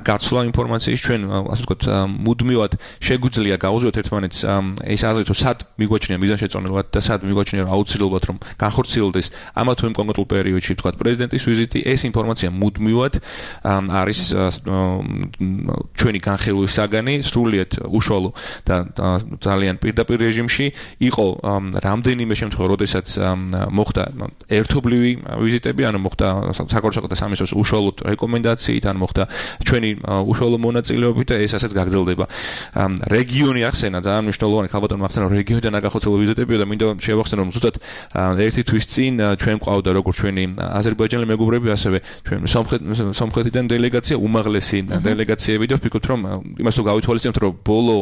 გაცვლა ინფორმაციის ჩვენ ასე ვთქვათ მუდმივად შეგვიძლია გავუზიოთ ერთმანეთს ეს აზრით რომ სად მიგვაჩნია მიზანშეწონილად და სად მიგვაჩნია რომ აუცილებლად რომ განხორციელდეს ამა თუ იმ კონკრეტულ პერიოდში ვთქვათ პრეზიდენტის ვიზიტი ეს ინფორმაცია მუდმივად არის ჩვენი განხილვის საგანი სრულიად უშუალო და ძალიან პირდაპირ რეჟიმში იყო რამდენიმე შემთხვევა როდესაც მოხდა ერთობლივი ვიზიტები ანუ მოხდა საგარეო საქმეთა სამინისტროს უშუალოდ რეკომენდაციით ან მოხდა ჩვენი უშუალო მონაწილეობით და ეს ასეც გაგრძელდება. რეგიონი ახსენა ძალიან მნიშვნელოვანი ქალბატონმა ახსენა რომ რეგიონიდან აგახორციელო ვიზიტებია და მინდა შევახსენო რომ ზუსტად ერთი თვის წინ ჩვენ ყავდა როგორც ჩვენი აზერბაიჯანელი მეგობრები ასევე ჩვენ სომხეთიდან დელეგაცია უმაღლესი დელეგაციები და ვფიქრობთ რომ იმას თუ გავითვალისწინებთ რომ ბოლო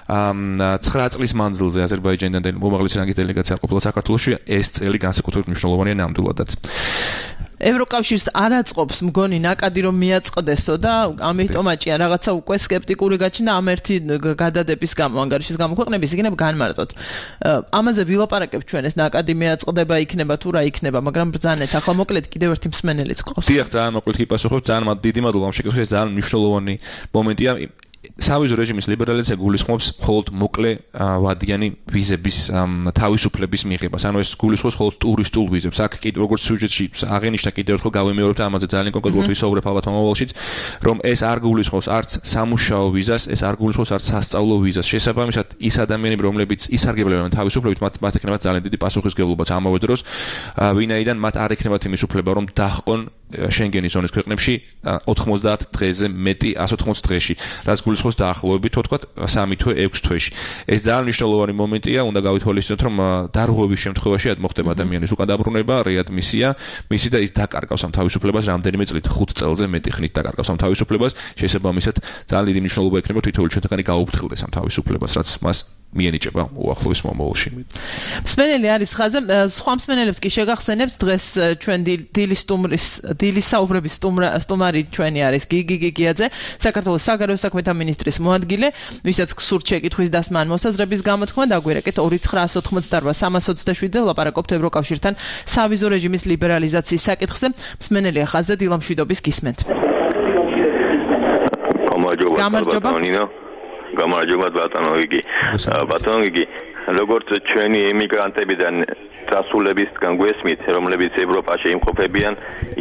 ცხრა წლის მანძილზე აზერბაიჯანიდან უმაღლესი რანგის დელეგაცია ყოფილა საქართველოში ეს წელი განსაკუთრებით მნიშვნელოვანია ნამდვილადაც. ევროკავშირს არ აწყობს მგონი ნაკადი რომ მიაწყდესო და ამიტომ აჭია რაღაცა უკვე სკეპტიკური გაჩნდა ამ ერთი გადადების გამო ანგარიშის გამო ქვეყნების იქნებ განმარტოთ. ამაზე ვილაპარაკებ ჩვენ ეს ნაკადი მიაწყდება იქნება თუ რა იქნება, მაგრამ ბრძანეთ ახლა მოკლედ კიდევ ერთი მსმენელიც ყავს. დიახ, ძალიან მოკლედ გიპასუხებ, ძალიან დიდი მადლობა ამ შეკითხვისთვის, ეს ძალიან მნიშვნელოვანი მომენტია. სავიზო რეჟიმის ლიბერალიზაცია გულისხმობს მხოლოდ მოკლე ვადიანი ვიზების თავისუფლების მიღებას. ანუ ეს გულისხმობს მხოლოდ ტურისტულ ვიზებს. აქ კიდევ როგორც სიუჟეტში აღენიშნა კიდევ ერთხელ გავემეორებ და ამაზე ძალიან კონკრეტულად ვისაუბრებ ალბათ მომავალშიც, რომ ეს არ გულისხმობს არც სამუშაო ვიზას, ეს არ გულისხმობს არც სასწავლო ვიზას. შესაბამისად, ის ადამიანები, რომლებიც ისარგებლებენ თავისუფლებით, მათ მათ ექნებათ ძალიან დიდი პასუხისმგებლობაც ამავე დროს, ვინაიდან მათ არ ექნებათ იმის უფლება, რომ დაჰყონ შენგენის ზონის ქვეყნებში ოთხმოცდაათ დღეზე მეტი ასი ოცდაოთხ დღეში, რაც გულისხმობს დაახლოებით თქვათ სამი თვე ექვს თვეში. ეს ძალიან მნიშვნელოვანი მომენტია, უნდა გავითვალისწინოთ, რომ დარღვევის შემთხვევაში ad მოხდება ადამიანის უკან დაბრუნება, რეადმისია, მისი და ის დაკარგავს ამ თავისუფლებას რამდენიმე წლით, ხუთ წელზე მეტი ხნით დაკარგავს ამ თავისუფლებას, შესაბამისად ძალიან დიდი მნიშვნელობა ექნება თითოეული ჩვენთანი გაუფრთხილდეს ამ თავისუფლებას, რაც მას მიენიჭება უახლოეს მომავალში. მსმენელი არის ხაზე, სხვა მსმენელებს კი შეგახსენებთ დღეს ჩვენ დილის სტუმრის დილის საუბრების სტუმარი ჩვენი არის გიგი გიგიაძე, საქართველოს საგარეო საქმეთა მინისტრის მოადგილე, ვისაც გსურთ შეკითხვის დასმა ან მოსაზრების გამოთქმა, დაგვირეკეთ ორი ცხრა ოცდაოთხმოცდაარბა სამას ოცდაშვიდზე ვლაპარაკობთ ევროკავშირთან სავიზო რეჟიმის ლიბერალიზაციის საკითხზე. მსმენელია ხაზე, დილამშვიდობის გისმენთ. გამარჯობა. გამარჯობა ბატონო გიგი. ბატონო გიგი, როგორც ჩვენი ემიგრანტებიდან დასრულებისგან გვესმით, რომლებიც ევროპაში იმყოფებიან,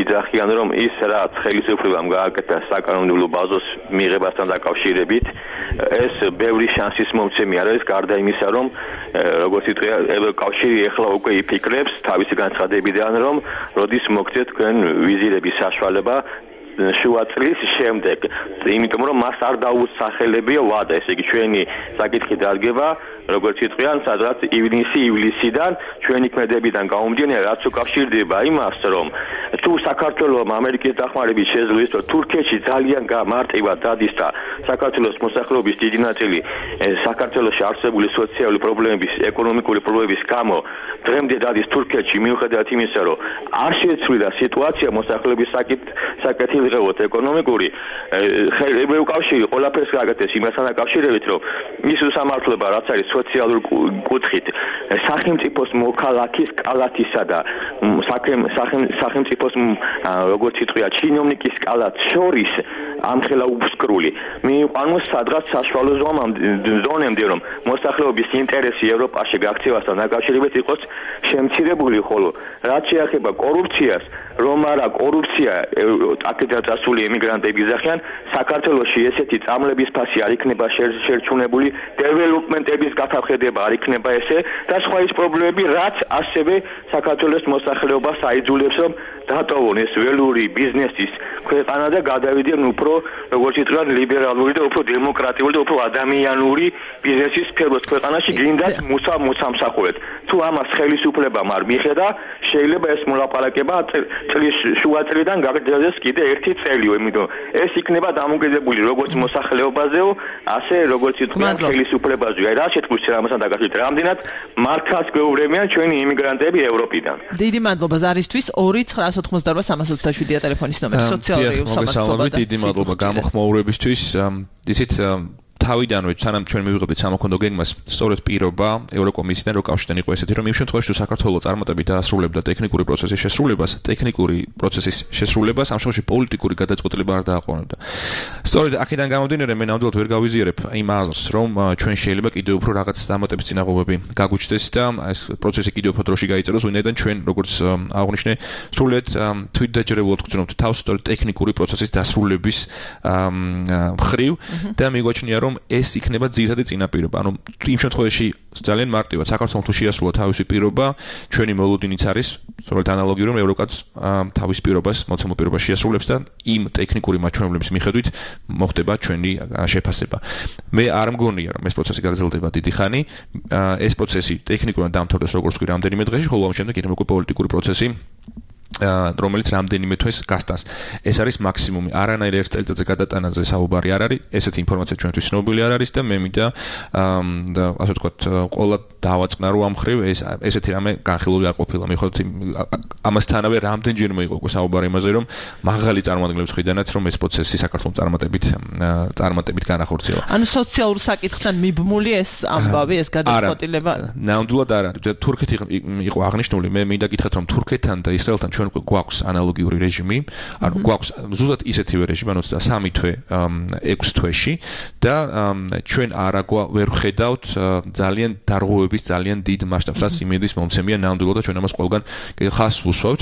იძახიან, რომ ის რაც ხელისუფლებამ გააკეთა საკანონმდებლო ბაზოს მიღებასთან დაკავშირებით, ეს ბევრი შანსის მომცემი არ არის, გარდა იმისა, რომ როგორც იტყვია, ევროკავშირი ეხლა უკვე იფიქრებს თავისი განცხადებიდან, რომ როდის მოგცეთ თქვენ ვიზირების საშუალება შუა წლის შემდეგ, იმიტომ რომ მას არ დაუსახელებია ვადა, ესე იგი ჩვენი საკითხი დადგება, როგორც იტყვიან, სადღაც ივნისი ივლისიდან ჩვენი ქმედებიდან გამომდინარე, რაც უკავშირდება იმას, რომ თუ საქართველოს ამერიკის დახმარებით შეძლოს, რომ თურქეთში ძალიან მარტივად დადის და საქართველოს მოსახლეობის დიდი ნაწილი საქართველოში არსებული სოციალური პრობლემების, ეკონომიკური პრობლემების გამო დღემდე დადის თურქეთში, მიუხედავად იმისა, რომ არ შეცვლილა სიტუაცია მოსახლეობის საკეთილდღეობით ეკონომიკური, ევროკავშირი ყველაფერს გააკეთეს იმასთან დაკავშირებით, რომ ის უსამართლობა რაც არის სოციალურ კუთხით, სახელმწიფოს მოქალაქის კალათისა და სახელმწიფოს როგორც იტყვია, ჩინოვნიკის კალათს შორის ამხელა უბსკრული. მიიყვანოს სადღაც საშუალო ზონემდე, რომ მოსახლეობის ინტერესი ევროპაში გაქცევასთან დაკავშირებით იყოს შემცირებული, ხოლო რაც შეეხება კორუფციას, რომ არა კორუფცია აქედან წასული ემიგრანტები იზახიან, საქართველოში ესეთი წამლების ფასი არ იქნება შერჩუნებული, დეველოპმენტების გაფახედება არ იქნება ესე და სხვა ის პრობლემები, რაც ასევე საქართველოს მოსახლეობას აიძულებს, რომ დატოვონ ეს ველური ბიზნესის ქვეყანა და გადავიდიან უფრო, როგორც იტყვიან, ლიბერალური და უფრო დემოკრატიული და უფრო ადამიანური ბიზნესის სფეროს ქვეყანაში გინდათ მუცა მოსამსახურეთ. თუ ამას ხელისუფლებამ არ მიხედა, შეიძლება ეს მოლაპარაკება წლის შუა წლიდან გაგრძელდეს კიდე ერთი წელი, იმიტომ ეს იქნება დამოკიდებული როგორც მოსახლეობაზეო, ასე როგორც იტყვიან ხელისუფლებაზე. აი რა შეთქმულს ამასთან დაკავშირებით, რამდენად მარკას გვეუბნებიან ჩვენი იმიგრანტები ევროპიდან. დიდი მადლობა ზარისთვის. ორი ცხრა ოცდაოთხმოცდაარბა სამას ოცდაშვიდია ტელეფონის ნომერი. სოციალური უსამართლობა და დიდი მადლობა გამოხმაურებისთვის. ისეთ თავიდანვე სანამ ჩვენ მივიღებდით სამოქანდო გეგმას, სწორედ პირობა ევროკომისიიდან როკავშირიდან იყო ესეთი, რომ იმ შემთხვევაში თუ საქართველოს წარმატებით დაასრულებდა ტექნიკური პროცესის შესრულებას, ტექნიკური პროცესის შესრულებას, ამ შემთხვევაში პოლიტიკური გადაწყვეტილება არ დააყოვნებდა. სწორედ აქედან გამომდინარე, მე ნამდვილად ვერ გავიზიარებ იმ აზრს, რომ ჩვენ შეიძლება კიდევ უფრო რაღაც დამატების წინაღობები გაგუჩნდეს და ეს პროცესი კიდევ უფრო დროში გაიწეროს, ვინაიდან ჩვენ როგორც აღნიშნე, სრულიად თვითდაჯერებულად გვწნობთ თავს სწორედ ტექნიკური პროცესის დასრულების მხრივ და მიგვაჩნია, რომ ეს იქნება ძირითადი წინაპირობა. ანუ იმ შემთხვევაში ძალიან მარტივად საქართველოს თუ შეასრულა თავისი პირობა, ჩვენი მოლოდინიც არის სწორედ ანალოგიური, რომ ევროკაც თავის პირობას, მოცემულ პირობას შეასრულებს და იმ ტექნიკური მაჩვენებლების მიხედვით მოხდება ჩვენი შეფასება. მე არ მგონია, რომ ეს პროცესი გაგრძელდება დიდი ხანი. ეს პროცესი ტექნიკურად დამთავრდეს როგორც კი რამდენიმე დღეში, ხოლო ამ შემდეგ იქნება უკვე პოლიტიკური პროცესი, რომელიც რამდენიმე თვეს გასტანს. ეს არის მაქსიმუმი. არანაირ ერთ წელიწადზე გადატანაზე საუბარი არ არის. ესეთი ინფორმაცია ჩვენთვის ცნობილი არ არის და მე მინდა და ასე ვთქვათ, ყველა დავაწყნა რომ ამ ხრივ ეს ესეთი რამე განხილული არ ყოფილა. მიხედავთ ამასთანავე რამდენჯერმე იყო უკვე საუბარი იმაზე, რომ მაღალი წარმომადგენლების მხრიდანაც რომ ეს პროცესი საქართველოს წარმატებით წარმატებით განახორციელა. ანუ სოციალურ საკითხთან მიბმული ეს ამბავი, ეს გადაწყვეტილება? ნამდვილად არ არის. თურქეთი იყო აღნიშნული, მე მინდა გითხრათ, რომ თურქეთთან და ისრაელთან ჩვენ გვაქვს ანალოგიური რეჟიმი, ანუ გვაქვს ზუსტად ისეთივე რეჟიმი, ანუ სამი თვე ექვს თვეში და ჩვენ არა ვერ ხედავთ ძალიან დარღვევების ძალიან დიდ მასშტაბს, რაც იმედის მომცემია ნამდვილად და ჩვენ ამას ყველგან ხას ვუსვავთ,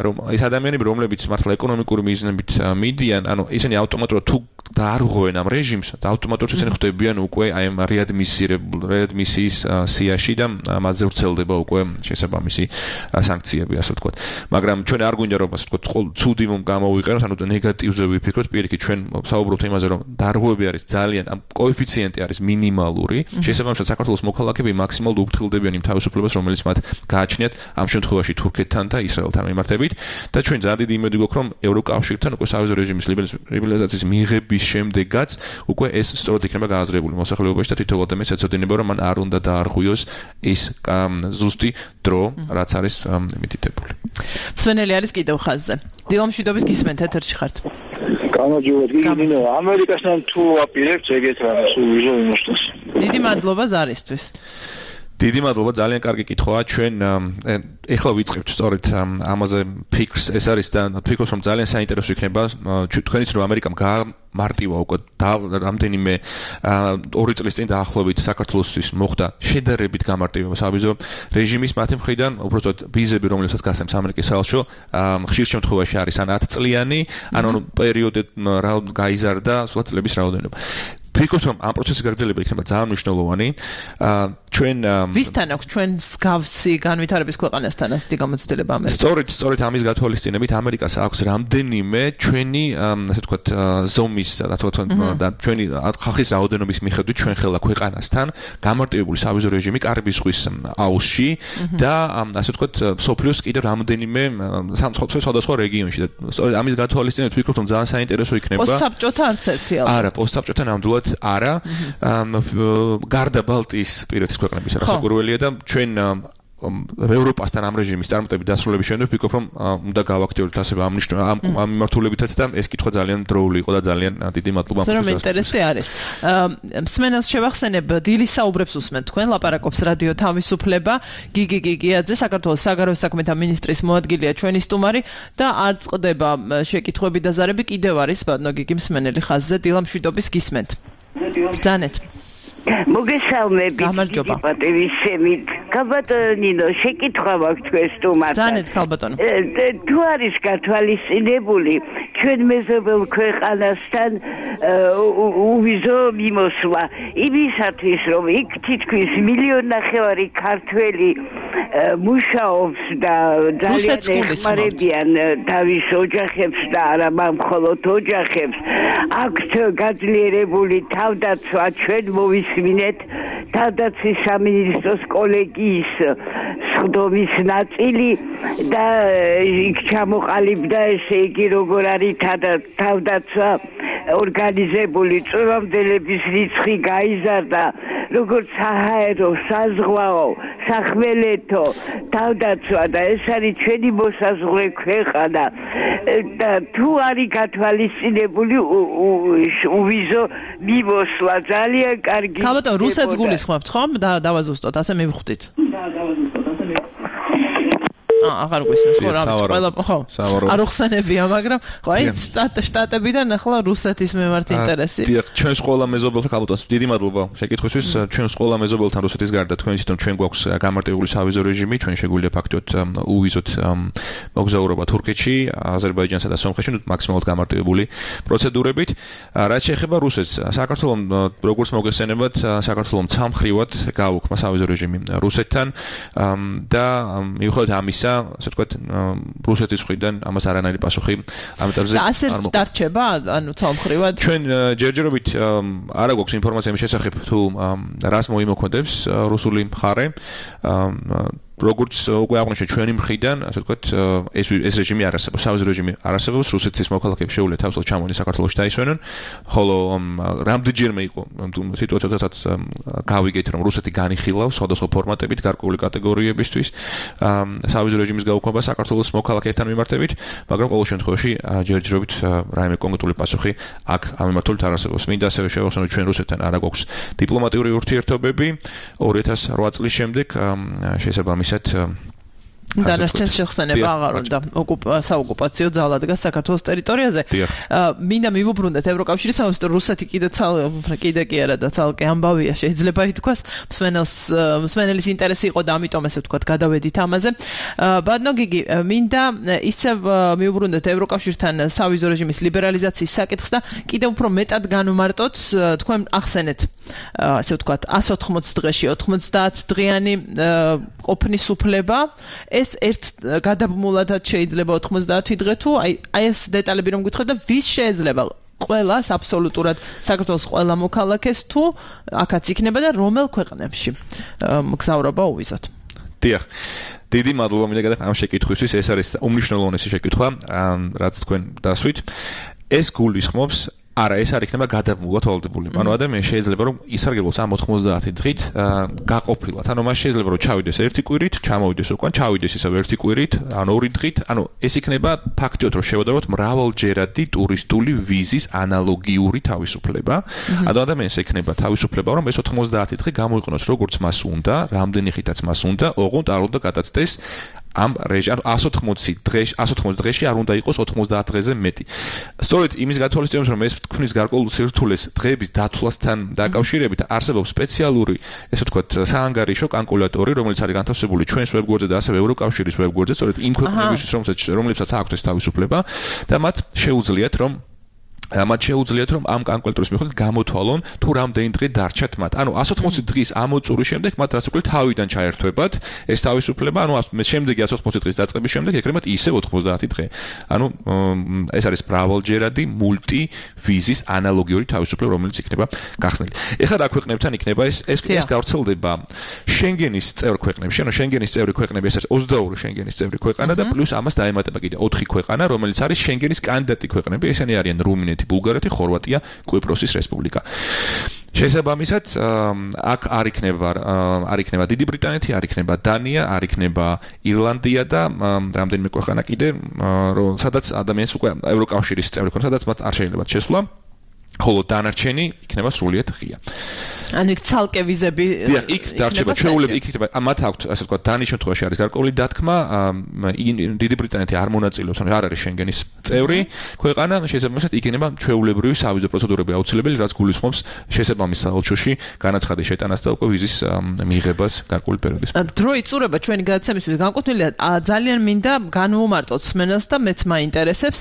რომ ეს ადამიანები, რომლებიც მართლა ეკონომიკური მიზნებით მიდიან, ანუ ისინი ავტომატურად თუ დაარღვევენ ამ რეჟიმს და ავტომატურად ისინი ხდებიან უკვე აი ამ რეადმისირებულ რეადმისიის სიაში და მათზე ვრცელდება უკვე შესაბამისი სანქციები, ასე ვთქვათ. მაგრამ ჩვენ არ გვინდა რომ ასე ვთქვათ, ცუდი გამოვიყენოთ, ანუ ნეგატივზე ვიფიქროთ, პირიქით ჩვენ საუბრობთ იმაზე, რომ დარღვევები არის ძალიან, ამ კოეფიციენტი არის მინიმალური, შესაბამისად საქართველოს მოქალაქეები მაქსიმალურად უფრთხილდებიან იმ თავისუფლებას, რომელიც მათ გააჩნიათ ამ შემთხვევაში თურქეთთან და ისრაელთან მიმართებით და ჩვენ ძალიან დიდი იმედი გვაქვს, რომ ევროკავშირთან უკვე სავიზო რეჟიმის ლიბერალიზაციის მიღების შემდეგაც უკვე ეს სწორად იქნება გააზრებული მოსახლეობაში და თითოეულ ადამიანს ეცოდინება, რომ მან არ უნდა დაარღვიოს ის ზუსტი დრო, რაც არის მითითებული. სვენელი არის კიდევ ხაზზე. დილამშვიდობის გისმენთ, ეთერში ხართ. გამარჯობა, გიგინო. ამერიკასთან თუ აპირებთ ეგეთ რამეს უვიზო იმოსტოს. დიდი მადლობა ზარისთვის. დიდი მადლობა, ძალიან კარგი კითხვაა. ჩვენ ეხლა ვიწყებთ სწორედ ამაზე ფიქრს. ეს არის და ფიქრობთ, რომ ძალიან საინტერესო იქნება თქვენიც რომ ამერიკამ მარტივა უკვე რამდენიმე ორი წლის წინ დაახლოებით საქართველოსთვის მოხდა შედარებით გამარტივება სავიზო რეჟიმის მათი მხრიდან, უბრალოდ ვიზები, რომლებსაც გასცემს ამერიკის საელჩო, ხშირ შემთხვევაში არის ან ათ წლიანი, ან პერიოდი გაიზარდა სულ წლების რაოდენობა. ფიქრობთ, რომ ამ პროცესის გაგრძელება იქნება ძალიან მნიშვნელოვანი. ჩვენ ვისთან აქვს ჩვენ მსგავსი განვითარების ქვეყანასთან ასეთი გამოცდილება ამერიკას? სწორედ, სწორედ ამის გათვალისწინებით ამერიკას აქვს რამდენიმე ჩვენი, ასე ვთქვათ, ზომის, ასე ვთქვათ, და ჩვენი ხალხის რაოდენობის მიხედვით ჩვენ ხელა ქვეყანასთან გამარტივებული სავიზო რეჟიმი კარიბის ზღვის აუზში და ასე ვთქვათ, სოფლიოს კიდევ რამდენიმე სხვადასხვა რეგიონში და სწორედ ამის გათვალისწინებით ვფიქრობ, რომ ძალიან საინტერესო იქნება. პოსტსაბჭოთა არც ერთი ალბათ. არა, პოსტსაბჭოთა ნამდვილად არა. გარდა ბალტიის პირეთის ქვეყნების რასაკურველია და ჩვენ ევროპასთან ამ რეჟიმის წარმატებით დასრულების შემდეგ ვფიქრობ, რომ უნდა გავაქტიუროთ ასევე ამ ამ მიმართულებითაც და ეს კითხვა ძალიან დროული იყო და ძალიან დიდი მადლობა. ზრდამ ინტერესი არის. მსმენელს შევახსენებ, დილის საუბრებს უსმენთ თქვენ, ლაპარაკობს რადიო თავისუფლება, გიგი გიგიაძე, საქართველოს საგარეო საქმეთა მინისტრის მოადგილეა ჩვენი სტუმარი და არ წყდება შეკითხვები და ზარები, კიდევ არის ბატონო გიგი მსმენელი ხაზზე, დილამშვიდობის გისმენთ. ბრძანეთ. მოგესალმებით. გამარჯობა. პატივისცემით. ქალბატონინო, შეკითხვა მაქვს თქვენ სტუმართან. ბრძანეთ ქალბატონო. თუ არის გათვალისწინებული ჩვენ მეზობელ ქვეყანასთან უვიზო მიმოსვლა იმისათვის, რომ იქ თითქმის მილიონ ნახევარი ქართველი მუშაობს და ძალიან ეხმარებიან თავის ოჯახებს და არა მხოლოდ ოჯახებს, აქვთ გაძლიერებული თავდაცვა, ჩვენ მოვისმინეთ თავდაცვის სამინისტროს კოლეგიის სხდომის ნაწილი და იქ ჩამოყალიბდა, ესე იგი, როგორ არის თავდაცვა ორგანიზებული, წვევამდელების რიცხვი გაიზარდა, როგორც საჰაერო, საზღვაო, სახმელეთო თავდაცვა და ეს არის ჩვენი მოსაზღვრე ქვეყანა და თუ არის გათვალისწინებული უვიზო მიმოსვლა, ძალიან კარგი. ქალბატონო, რუსეთს გულისხმობთ ხომ? და დავაზუსტოთ, ასე მივხვდით. აა, აღარ გვისმენს ხო რა ვიცი, ყველა ხო. არ უხსენებია, მაგრამ ხო, აი შტატებიდან ახლა რუსეთის მიმართ ინტერესი. დიახ, ჩვენს ყველა მეზობელთან ქალბატონს დიდი მადლობა შეკითხვისთვის. ჩვენს ყველა მეზობელთან რუსეთის გარდა თქვენ იცით, რომ ჩვენ გვაქვს გამარტივებული სავიზო რეჟიმი, ჩვენ შეგვიძლია ფაქტობრივად უვიზოთ მოგზაურობა თურქეთში, აზერბაიჯანსა და სომხეთში, მაქსიმალურად გამარტივებული პროცედურებით. რაც შეეხება რუსეთს, საქართველოს როგორც მოგესწენებათ, საქართველოს ცალმხრივად გააუქმა სავიზო რეჟიმი რუსეთთან და მიუხედავად ამისა, ასე ვთქვათ, რუსეთის მხრიდან ამას არანაირი პასუხი ამ ეტაპზე არ მოხდა. დარჩება, ანუ ცალმხრივად. ჩვენ ჯერჯერობით არა გვაქვს ინფორმაცია იმის შესახებ, თუ რას მოიმოქმედებს რუსული მხარე. როგორც უკვე აღნიშნეთ ჩვენი მხრიდან, ასე ვთქვათ, ეს ეს რეჟიმი არ არსებობს, სავიზო რეჟიმი არ არსებობს, რუსეთის მოქალაქეები შეუძლია თავისუფლად ჩამოვიდნენ საქართველოში დაისვენენ, ხოლო რამდენჯერმე იყო სიტუაცია, როდესაც გავიგეთ, რომ რუსეთი განიხილავს სხვადასხვა ფორმატებით გარკვეული კატეგორიებისთვის სავიზო რეჟიმის გაუქმება საქართველოს მოქალაქეებთან მიმართებით, მაგრამ ყოველ შემთხვევაში ჯერჯერობით რაიმე კონკრეტული პასუხი აქ ამ მიმართულებით არ არსებობს. მინდა ასევე შევახსენოთ, ჩვენ რუსეთთან არა გვაქვს დიპლომატიური ურთიერთობები ორი ათას რვა წლის შემდეგ შესაბამისად დანარჩენს შეხსენება აღარ უნდა საოკუპაციო ძალა დგას საქართველოს ტერიტორიაზე. მინდა მივუბრუნდეთ ევროკავშირის სამოსტო რუსეთი კიდე კიდე კი არა და ცალკე ამბავია შეიძლება ითქვას მსმენელს მსმენელის ინტერესი იყო და ამიტომ ესე ვთქვათ გადავედით ამაზე. ბატონო გიგი მინდა ისევ მივუბრუნდეთ ევროკავშირთან სავიზო რეჟიმის ლიბერალიზაციის საკითხს და კიდე უფრო მეტად განვმარტოთ თქვენ ახსენეთ ასე ვთქვათ one hundred eighty დღეში ოცდაათ დღიანი ყოფნის უფლება ეს ერთ გადაბმულადაც შეიძლება ოცდაათი დღე თუ აი აი ეს დეტალები რომ გითხრათ და ვის შეიძლება ყველას აბსოლუტურად საქართველოს ყველა მოქალაქეს თუ აქაც იქნება და რომელ ქვეყნებში მგზავრობა უვიზოთ. დიახ. დიდი მადლობა მინდა გადახ ამ შეკითხვისთვის. ეს არის უმნიშვნელოვანესი შეკითხვა, რაც თქვენ დასვით. ეს გულისხმობს არა, ეს არ იქნება გადაბმულად ვალდებული. ანუ ადამიანს შეიძლება რომ ისარგებლოს ამ ოცდაათი დღით გაყოფილად. ანუ მას შეიძლება რომ ჩავიდეს ერთი კვირით, ჩამოვიდეს უკან, ჩავიდეს ისევ ერთი კვირით, ანუ ორი დღით. ანუ ეს იქნება ფაქტიოდ რომ შევადაროთ მრავალჯერადი ტურისტული ვიზის ანალოგიური თავისუფლება. ანუ ადამიანს ექნება თავისუფლება რომ ეს ოცდაათი დღე გამოიყენოს როგორც მას უნდა, რამდენი ხითაც მას უნდა, ოღონდ არ უნდა გადაცდეს ამ რეჟიმ one hundred eighty დღეში one hundred eighty დღეში არ უნდა იყოს ოცდაათ დღეზე მეტი. სწორედ იმის გათვალისწინებით რომ ეს თქვნის გარკვეულ სირთულეს დღეების დათვლასთან დაკავშირებით არსებობს სპეციალური ესე ვთქვათ საანგარიშო კალკულატორი რომელიც არის განთავსებული ჩვენს ვებგვერდზე და ასევე ევროკავშირის ვებგვერდზე სწორედ იმ ქვეყნებისთვის რომლებსაც აქვს ეს თავისუფლება და მათ შეუძლიათ რომ მათ შეუძლიათ რომ ამ კალკულატორის მიხედვით გამოთვალონ თუ რამდენი დღე დარჩათ მათ. ანუ one hundred eighty დღის ამოწურის შემდეგ მათ რას უკლებ თავიდან ჩაერთვებათ ეს თავისუფლება. ანუ შემდეგი one hundred eighty დღის დაწყების შემდეგ ეკრებათ ისევ ოცდაათი დღე. ანუ ეს არის მრავალჯერადი მულტი ვიზის ანალოგიური თავისუფლება რომელიც იქნება გახსნილი. ეხლა რა ქვეყნებთან იქნება ეს ეს ეს გავრცელდება შენგენის წევრ ქვეყნებში. ანუ შენგენის წევრი ქვეყნები ეს არის ოცდაორი შენგენის წევრი ქვეყანა და პლუს ამას დაემატება კიდე ოთხი ქვეყანა რომელიც არის შენგენის კანდიდატი ქვეყნები. ესენი არიან რუმინეთი, ბულგარეთი, ხორვატია, კვიპროსის რესპუბლიკა. შესაბამისად, აქ არ იქნება არ იქნება დიდი ბრიტანეთი, არ იქნება დანია, არ იქნება ირლანდია და რამდენიმე ქვეყანა კიდე, სადაც ადამიანს უკვე ევროკავშირის წევრი ქვეყანა, სადაც მათ არ შეიძლება შესვლა, ხოლო დანარჩენი იქნება სრულიად ღია. ანუ იქ ცალკე ვიზები დიახ, იქ დარჩება ჩვეულები, იქ იქნება მათ აქვთ ასე ვთქვათ დანის შემთხვევაში არის გარკვეული დათქმა, დიდი ბრიტანეთი არ მონაწილეობს, ანუ არ არის შენგენის წევრი ქვეყანა, შესაბამისად იქნება ჩვეულებრივი სავიზო პროცედურები აუცილებელი, რაც გულისხმობს შესაბამის საელჩოში განაცხადის შეტანას და უკვე ვიზის მიღებას გარკვეული პერიოდის. დრო იწურება ჩვენი გადაცემისთვის განკუთვნილია ძალიან მინდა განვუმარტოთ სმენელს და მეც მაინტერესებს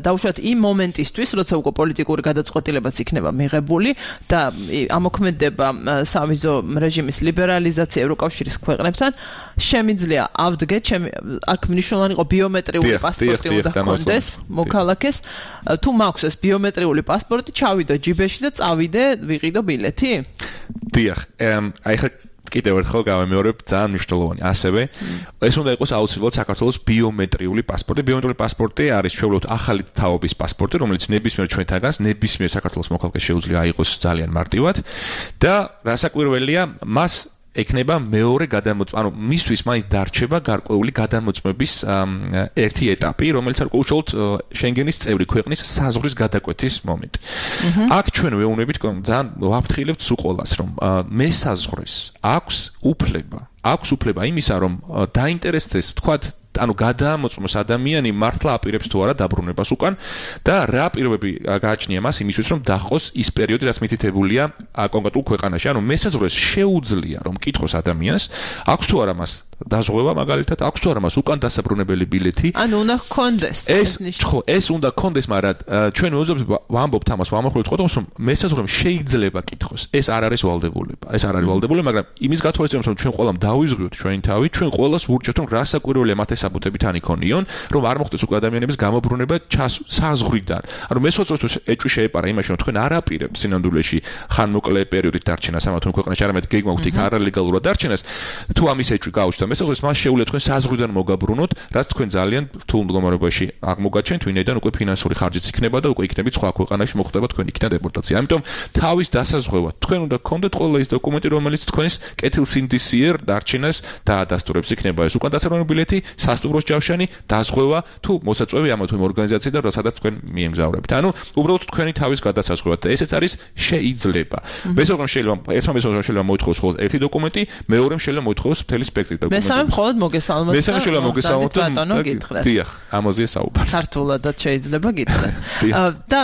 დაუშვათ იმ მომენტისთვის, როცა უკვე პოლიტიკური გადაწყვეტილებაც იქნება მიღებული და ამოქმედება სავიზო რეჟიმის ლიბერალიზაცია ევროკავშირის ქვეყნებთან შემიძლია ავდგე ჩემი აქ მნიშვნელოვანი იყო ბიომეტრიული პასპორტი უნდა ჰქონდეს მოქალაქეს თუ მაქვს ეს ბიომეტრიული პასპორტი ჩავიდო ჯიბეში და წავიდე ვიყიდო ბილეთი? დიახ, აი ხა კიდევ ერთხელ გავემეორებ ძალიან მნიშვნელოვანი. ასევე ეს უნდა იყოს აუცილებლად საქართველოს ბიომეტრიული პასპორტი. ბიომეტრიული პასპორტი არის ჩვეულებრივ ახალი თაობის პასპორტი, რომელიც ნებისმიერ ჩვენთაგანს, ნებისმიერ საქართველოს მოქალაქეს შეუძლია აიღოს ძალიან მარტივად და რასაკვირველია, მას ექნება მეორე გადამოწმება, ანუ მისთვის მაინც დარჩება გარკვეული გადამოწმების ერთი ეტაპი, რომელიც არ უშუალოდ შენგენის წევრი ქვეყნის საზღვრის გადაკვეთის მომენტი. აქ ჩვენ ვეუბნებით ძალიან ვაფრთხილებთ სულ ყველას, რომ მესაზღვრეს აქვს უფლება, აქვს უფლება იმისა, რომ დაინტერესდეს, თქვათ, ანუ გადამოწმოს ადამიანი მართლა აპირებს თუ არა დაბრუნებას უკან და რა პირობები გააჩნია მას იმისთვის რომ დაახოს ის პერიოდი რაც მითითებულია კონკრეტულ ქვეყანაში. ანუ მესაზღვრეს შეუძლია რომ კითხოს ადამიანს აქვს თუ არა მას დაზღვევა მაგალითად, აქვს თუ არა მას უკან დასაბრუნებელი ბილეთი. ანუ უნდა ჰქონდეს ეს ხო, ეს უნდა ჰქონდეს, მაგრამ ჩვენ ვამბობთ ამას, ვამახვილებთ ხოლმე რომ მესაზღვრემ შეიძლება კითხოს. ეს არ არის ვალდებულება. ეს არ არის ვალდებულება, მაგრამ იმის გათვალისწინებით რომ ჩვენ ყველამ დავიზღვრიოთ ჩვენი თავი, ჩვენ ყველას ვურჩევთ რომ რასაკვირველია მათ საბუთებით ან იქონიონ, რომ არ მოხდეს უკვე ადამიანების გამობრუნება საზღვრიდან. ანუ მესაზღვრეს ეჭვი შეეპარა იმაში, რომ თქვენ არ აპირებთ სინამდვილეში ხანმოკლე პერიოდით დარჩენას ამ თუ ქვეყანაში, არამედ გეგმავთ იქ არალეგალურად დარჩენას, თუ ამის ეჭვი გაუჩნდა მესაზღვრეს, მას შეუძლია თქვენ საზღვრიდან მოგაბრუნოთ, რაც თქვენ ძალიან რთულ მდგომარეობაში აღმოგაჩენთ, ვინაიდან უკვე ფინანსური ხარჯიც იქნება და უკვე იქნებით სხვა ქვეყანაში მოხდება თქვენ იქიდან დეპორტაცია. ამიტომ თავის დასაზღვევად თქვენ უნდა გქონდეთ ყველა ის დოკუმენტი, რომელიც თქვენს კეთილსინდისიერ დარჩენას დაადასტურებს. იქნება ეს უკან დასაბრუნებელი ბილეთი, სასტუმროს ჯავშანი, დაზღვევა თუ მოსაწვევი ამა თუ იმ ორგანიზაციიდან, სადაც თქვენ მიემგზავრებით. ანუ უბრალოდ თქვენი თავის გადასაზღვევად და ესეც არის შეიძლება. მესაზღვრემ შეიძლება ერთმა მესაზღვრემ შეიძლება მოითხოვოს მხოლოდ ერთი დოკუმენტი, მეორემ შეიძლება მოითხოვოს მთელი სპექტრი დოკუმენტები. მესამე მხოლოდ მოგესალმებით. მესამე შეიძლება მოგესალმოთ ბატონო გითხრათ. დიახ, ამაზე საუბარი. ქართულადაც შეიძლება გითხრათ. და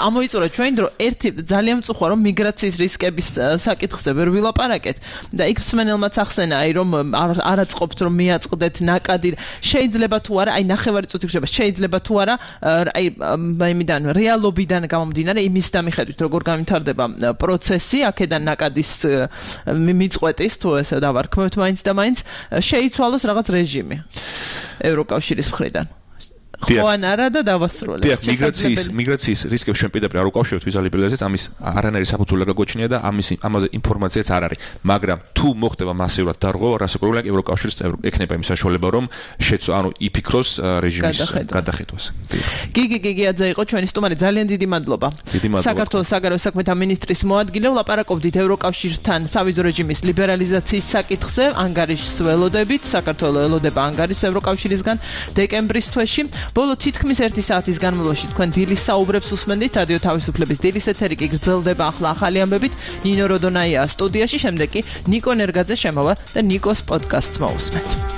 ამოიწურა ჩვენ დრო ერთი ძალიან მწუხვა რომ მიგრაციის რისკების საკითხზე ვერ ვილაპარაკეთ და იქ მსმენელმაც ახსენა აი რომ არაწყობთ რომ მიაწყდეთ ნაკადი შეიძლება თუ არა აი ნახევარი წუთი გრება შეიძლება თუ არა აი იმიდან რეალობიდან გამომდინარე იმის დამიხედვით როგორ გამვითარდება პროცესი აქედან ნაკადის მიწყვეტის თუ ესე დავარქმევთ მაინც და მაინც შეიცვალოს რაღაც რეჟიმი ევროკავშირის მხრიდან ხო ან არა და დავასრულებთ. დიახ, მიგრაციის მიგრაციის რისკებს ჩვენ პირდაპირ არ უკავშირებთ ვიზუალიზაციას, ამის არანაირი საფუძველი გაგოჩნია და ამის ამაზე ინფორმაციაც არ არის. მაგრამ თუ მოხდება მასიურად დარღვევა, რასაკვირველია ევროკავშირის ექნება იმ საშუალება, რომ შეცვ ანუ იფიქროს რეჟიმის გადახედვას. გიგი გიგიაძე იყო ჩვენი სტუმარი, ძალიან დიდი მადლობა. საქართველოს საგარეო საქმეთა მინისტრის მოადგილე, ლაპარაკობდით ევროკავშირთან სავიზო რეჟიმის ლიბერალიზაციის საკითხზე, ანგარიშს ველოდებით, საქართველოს ელოდება ანგარიშს ევროკავშირისგან დეკემბრის თვეში. ბოლო თითქმის ერთი საათის განმავლობაში თქვენ დილის საუბრებს უსმენდით რადიო თავისუფლების დილის ეთერი კი გრძელდება ახლა ახალი ამბებით ნინო როდონაია სტუდიაში შემდეგ კი ნიკო ნერგაძე შემოვა და ნიკოს პოდკასტს მოусმენთ.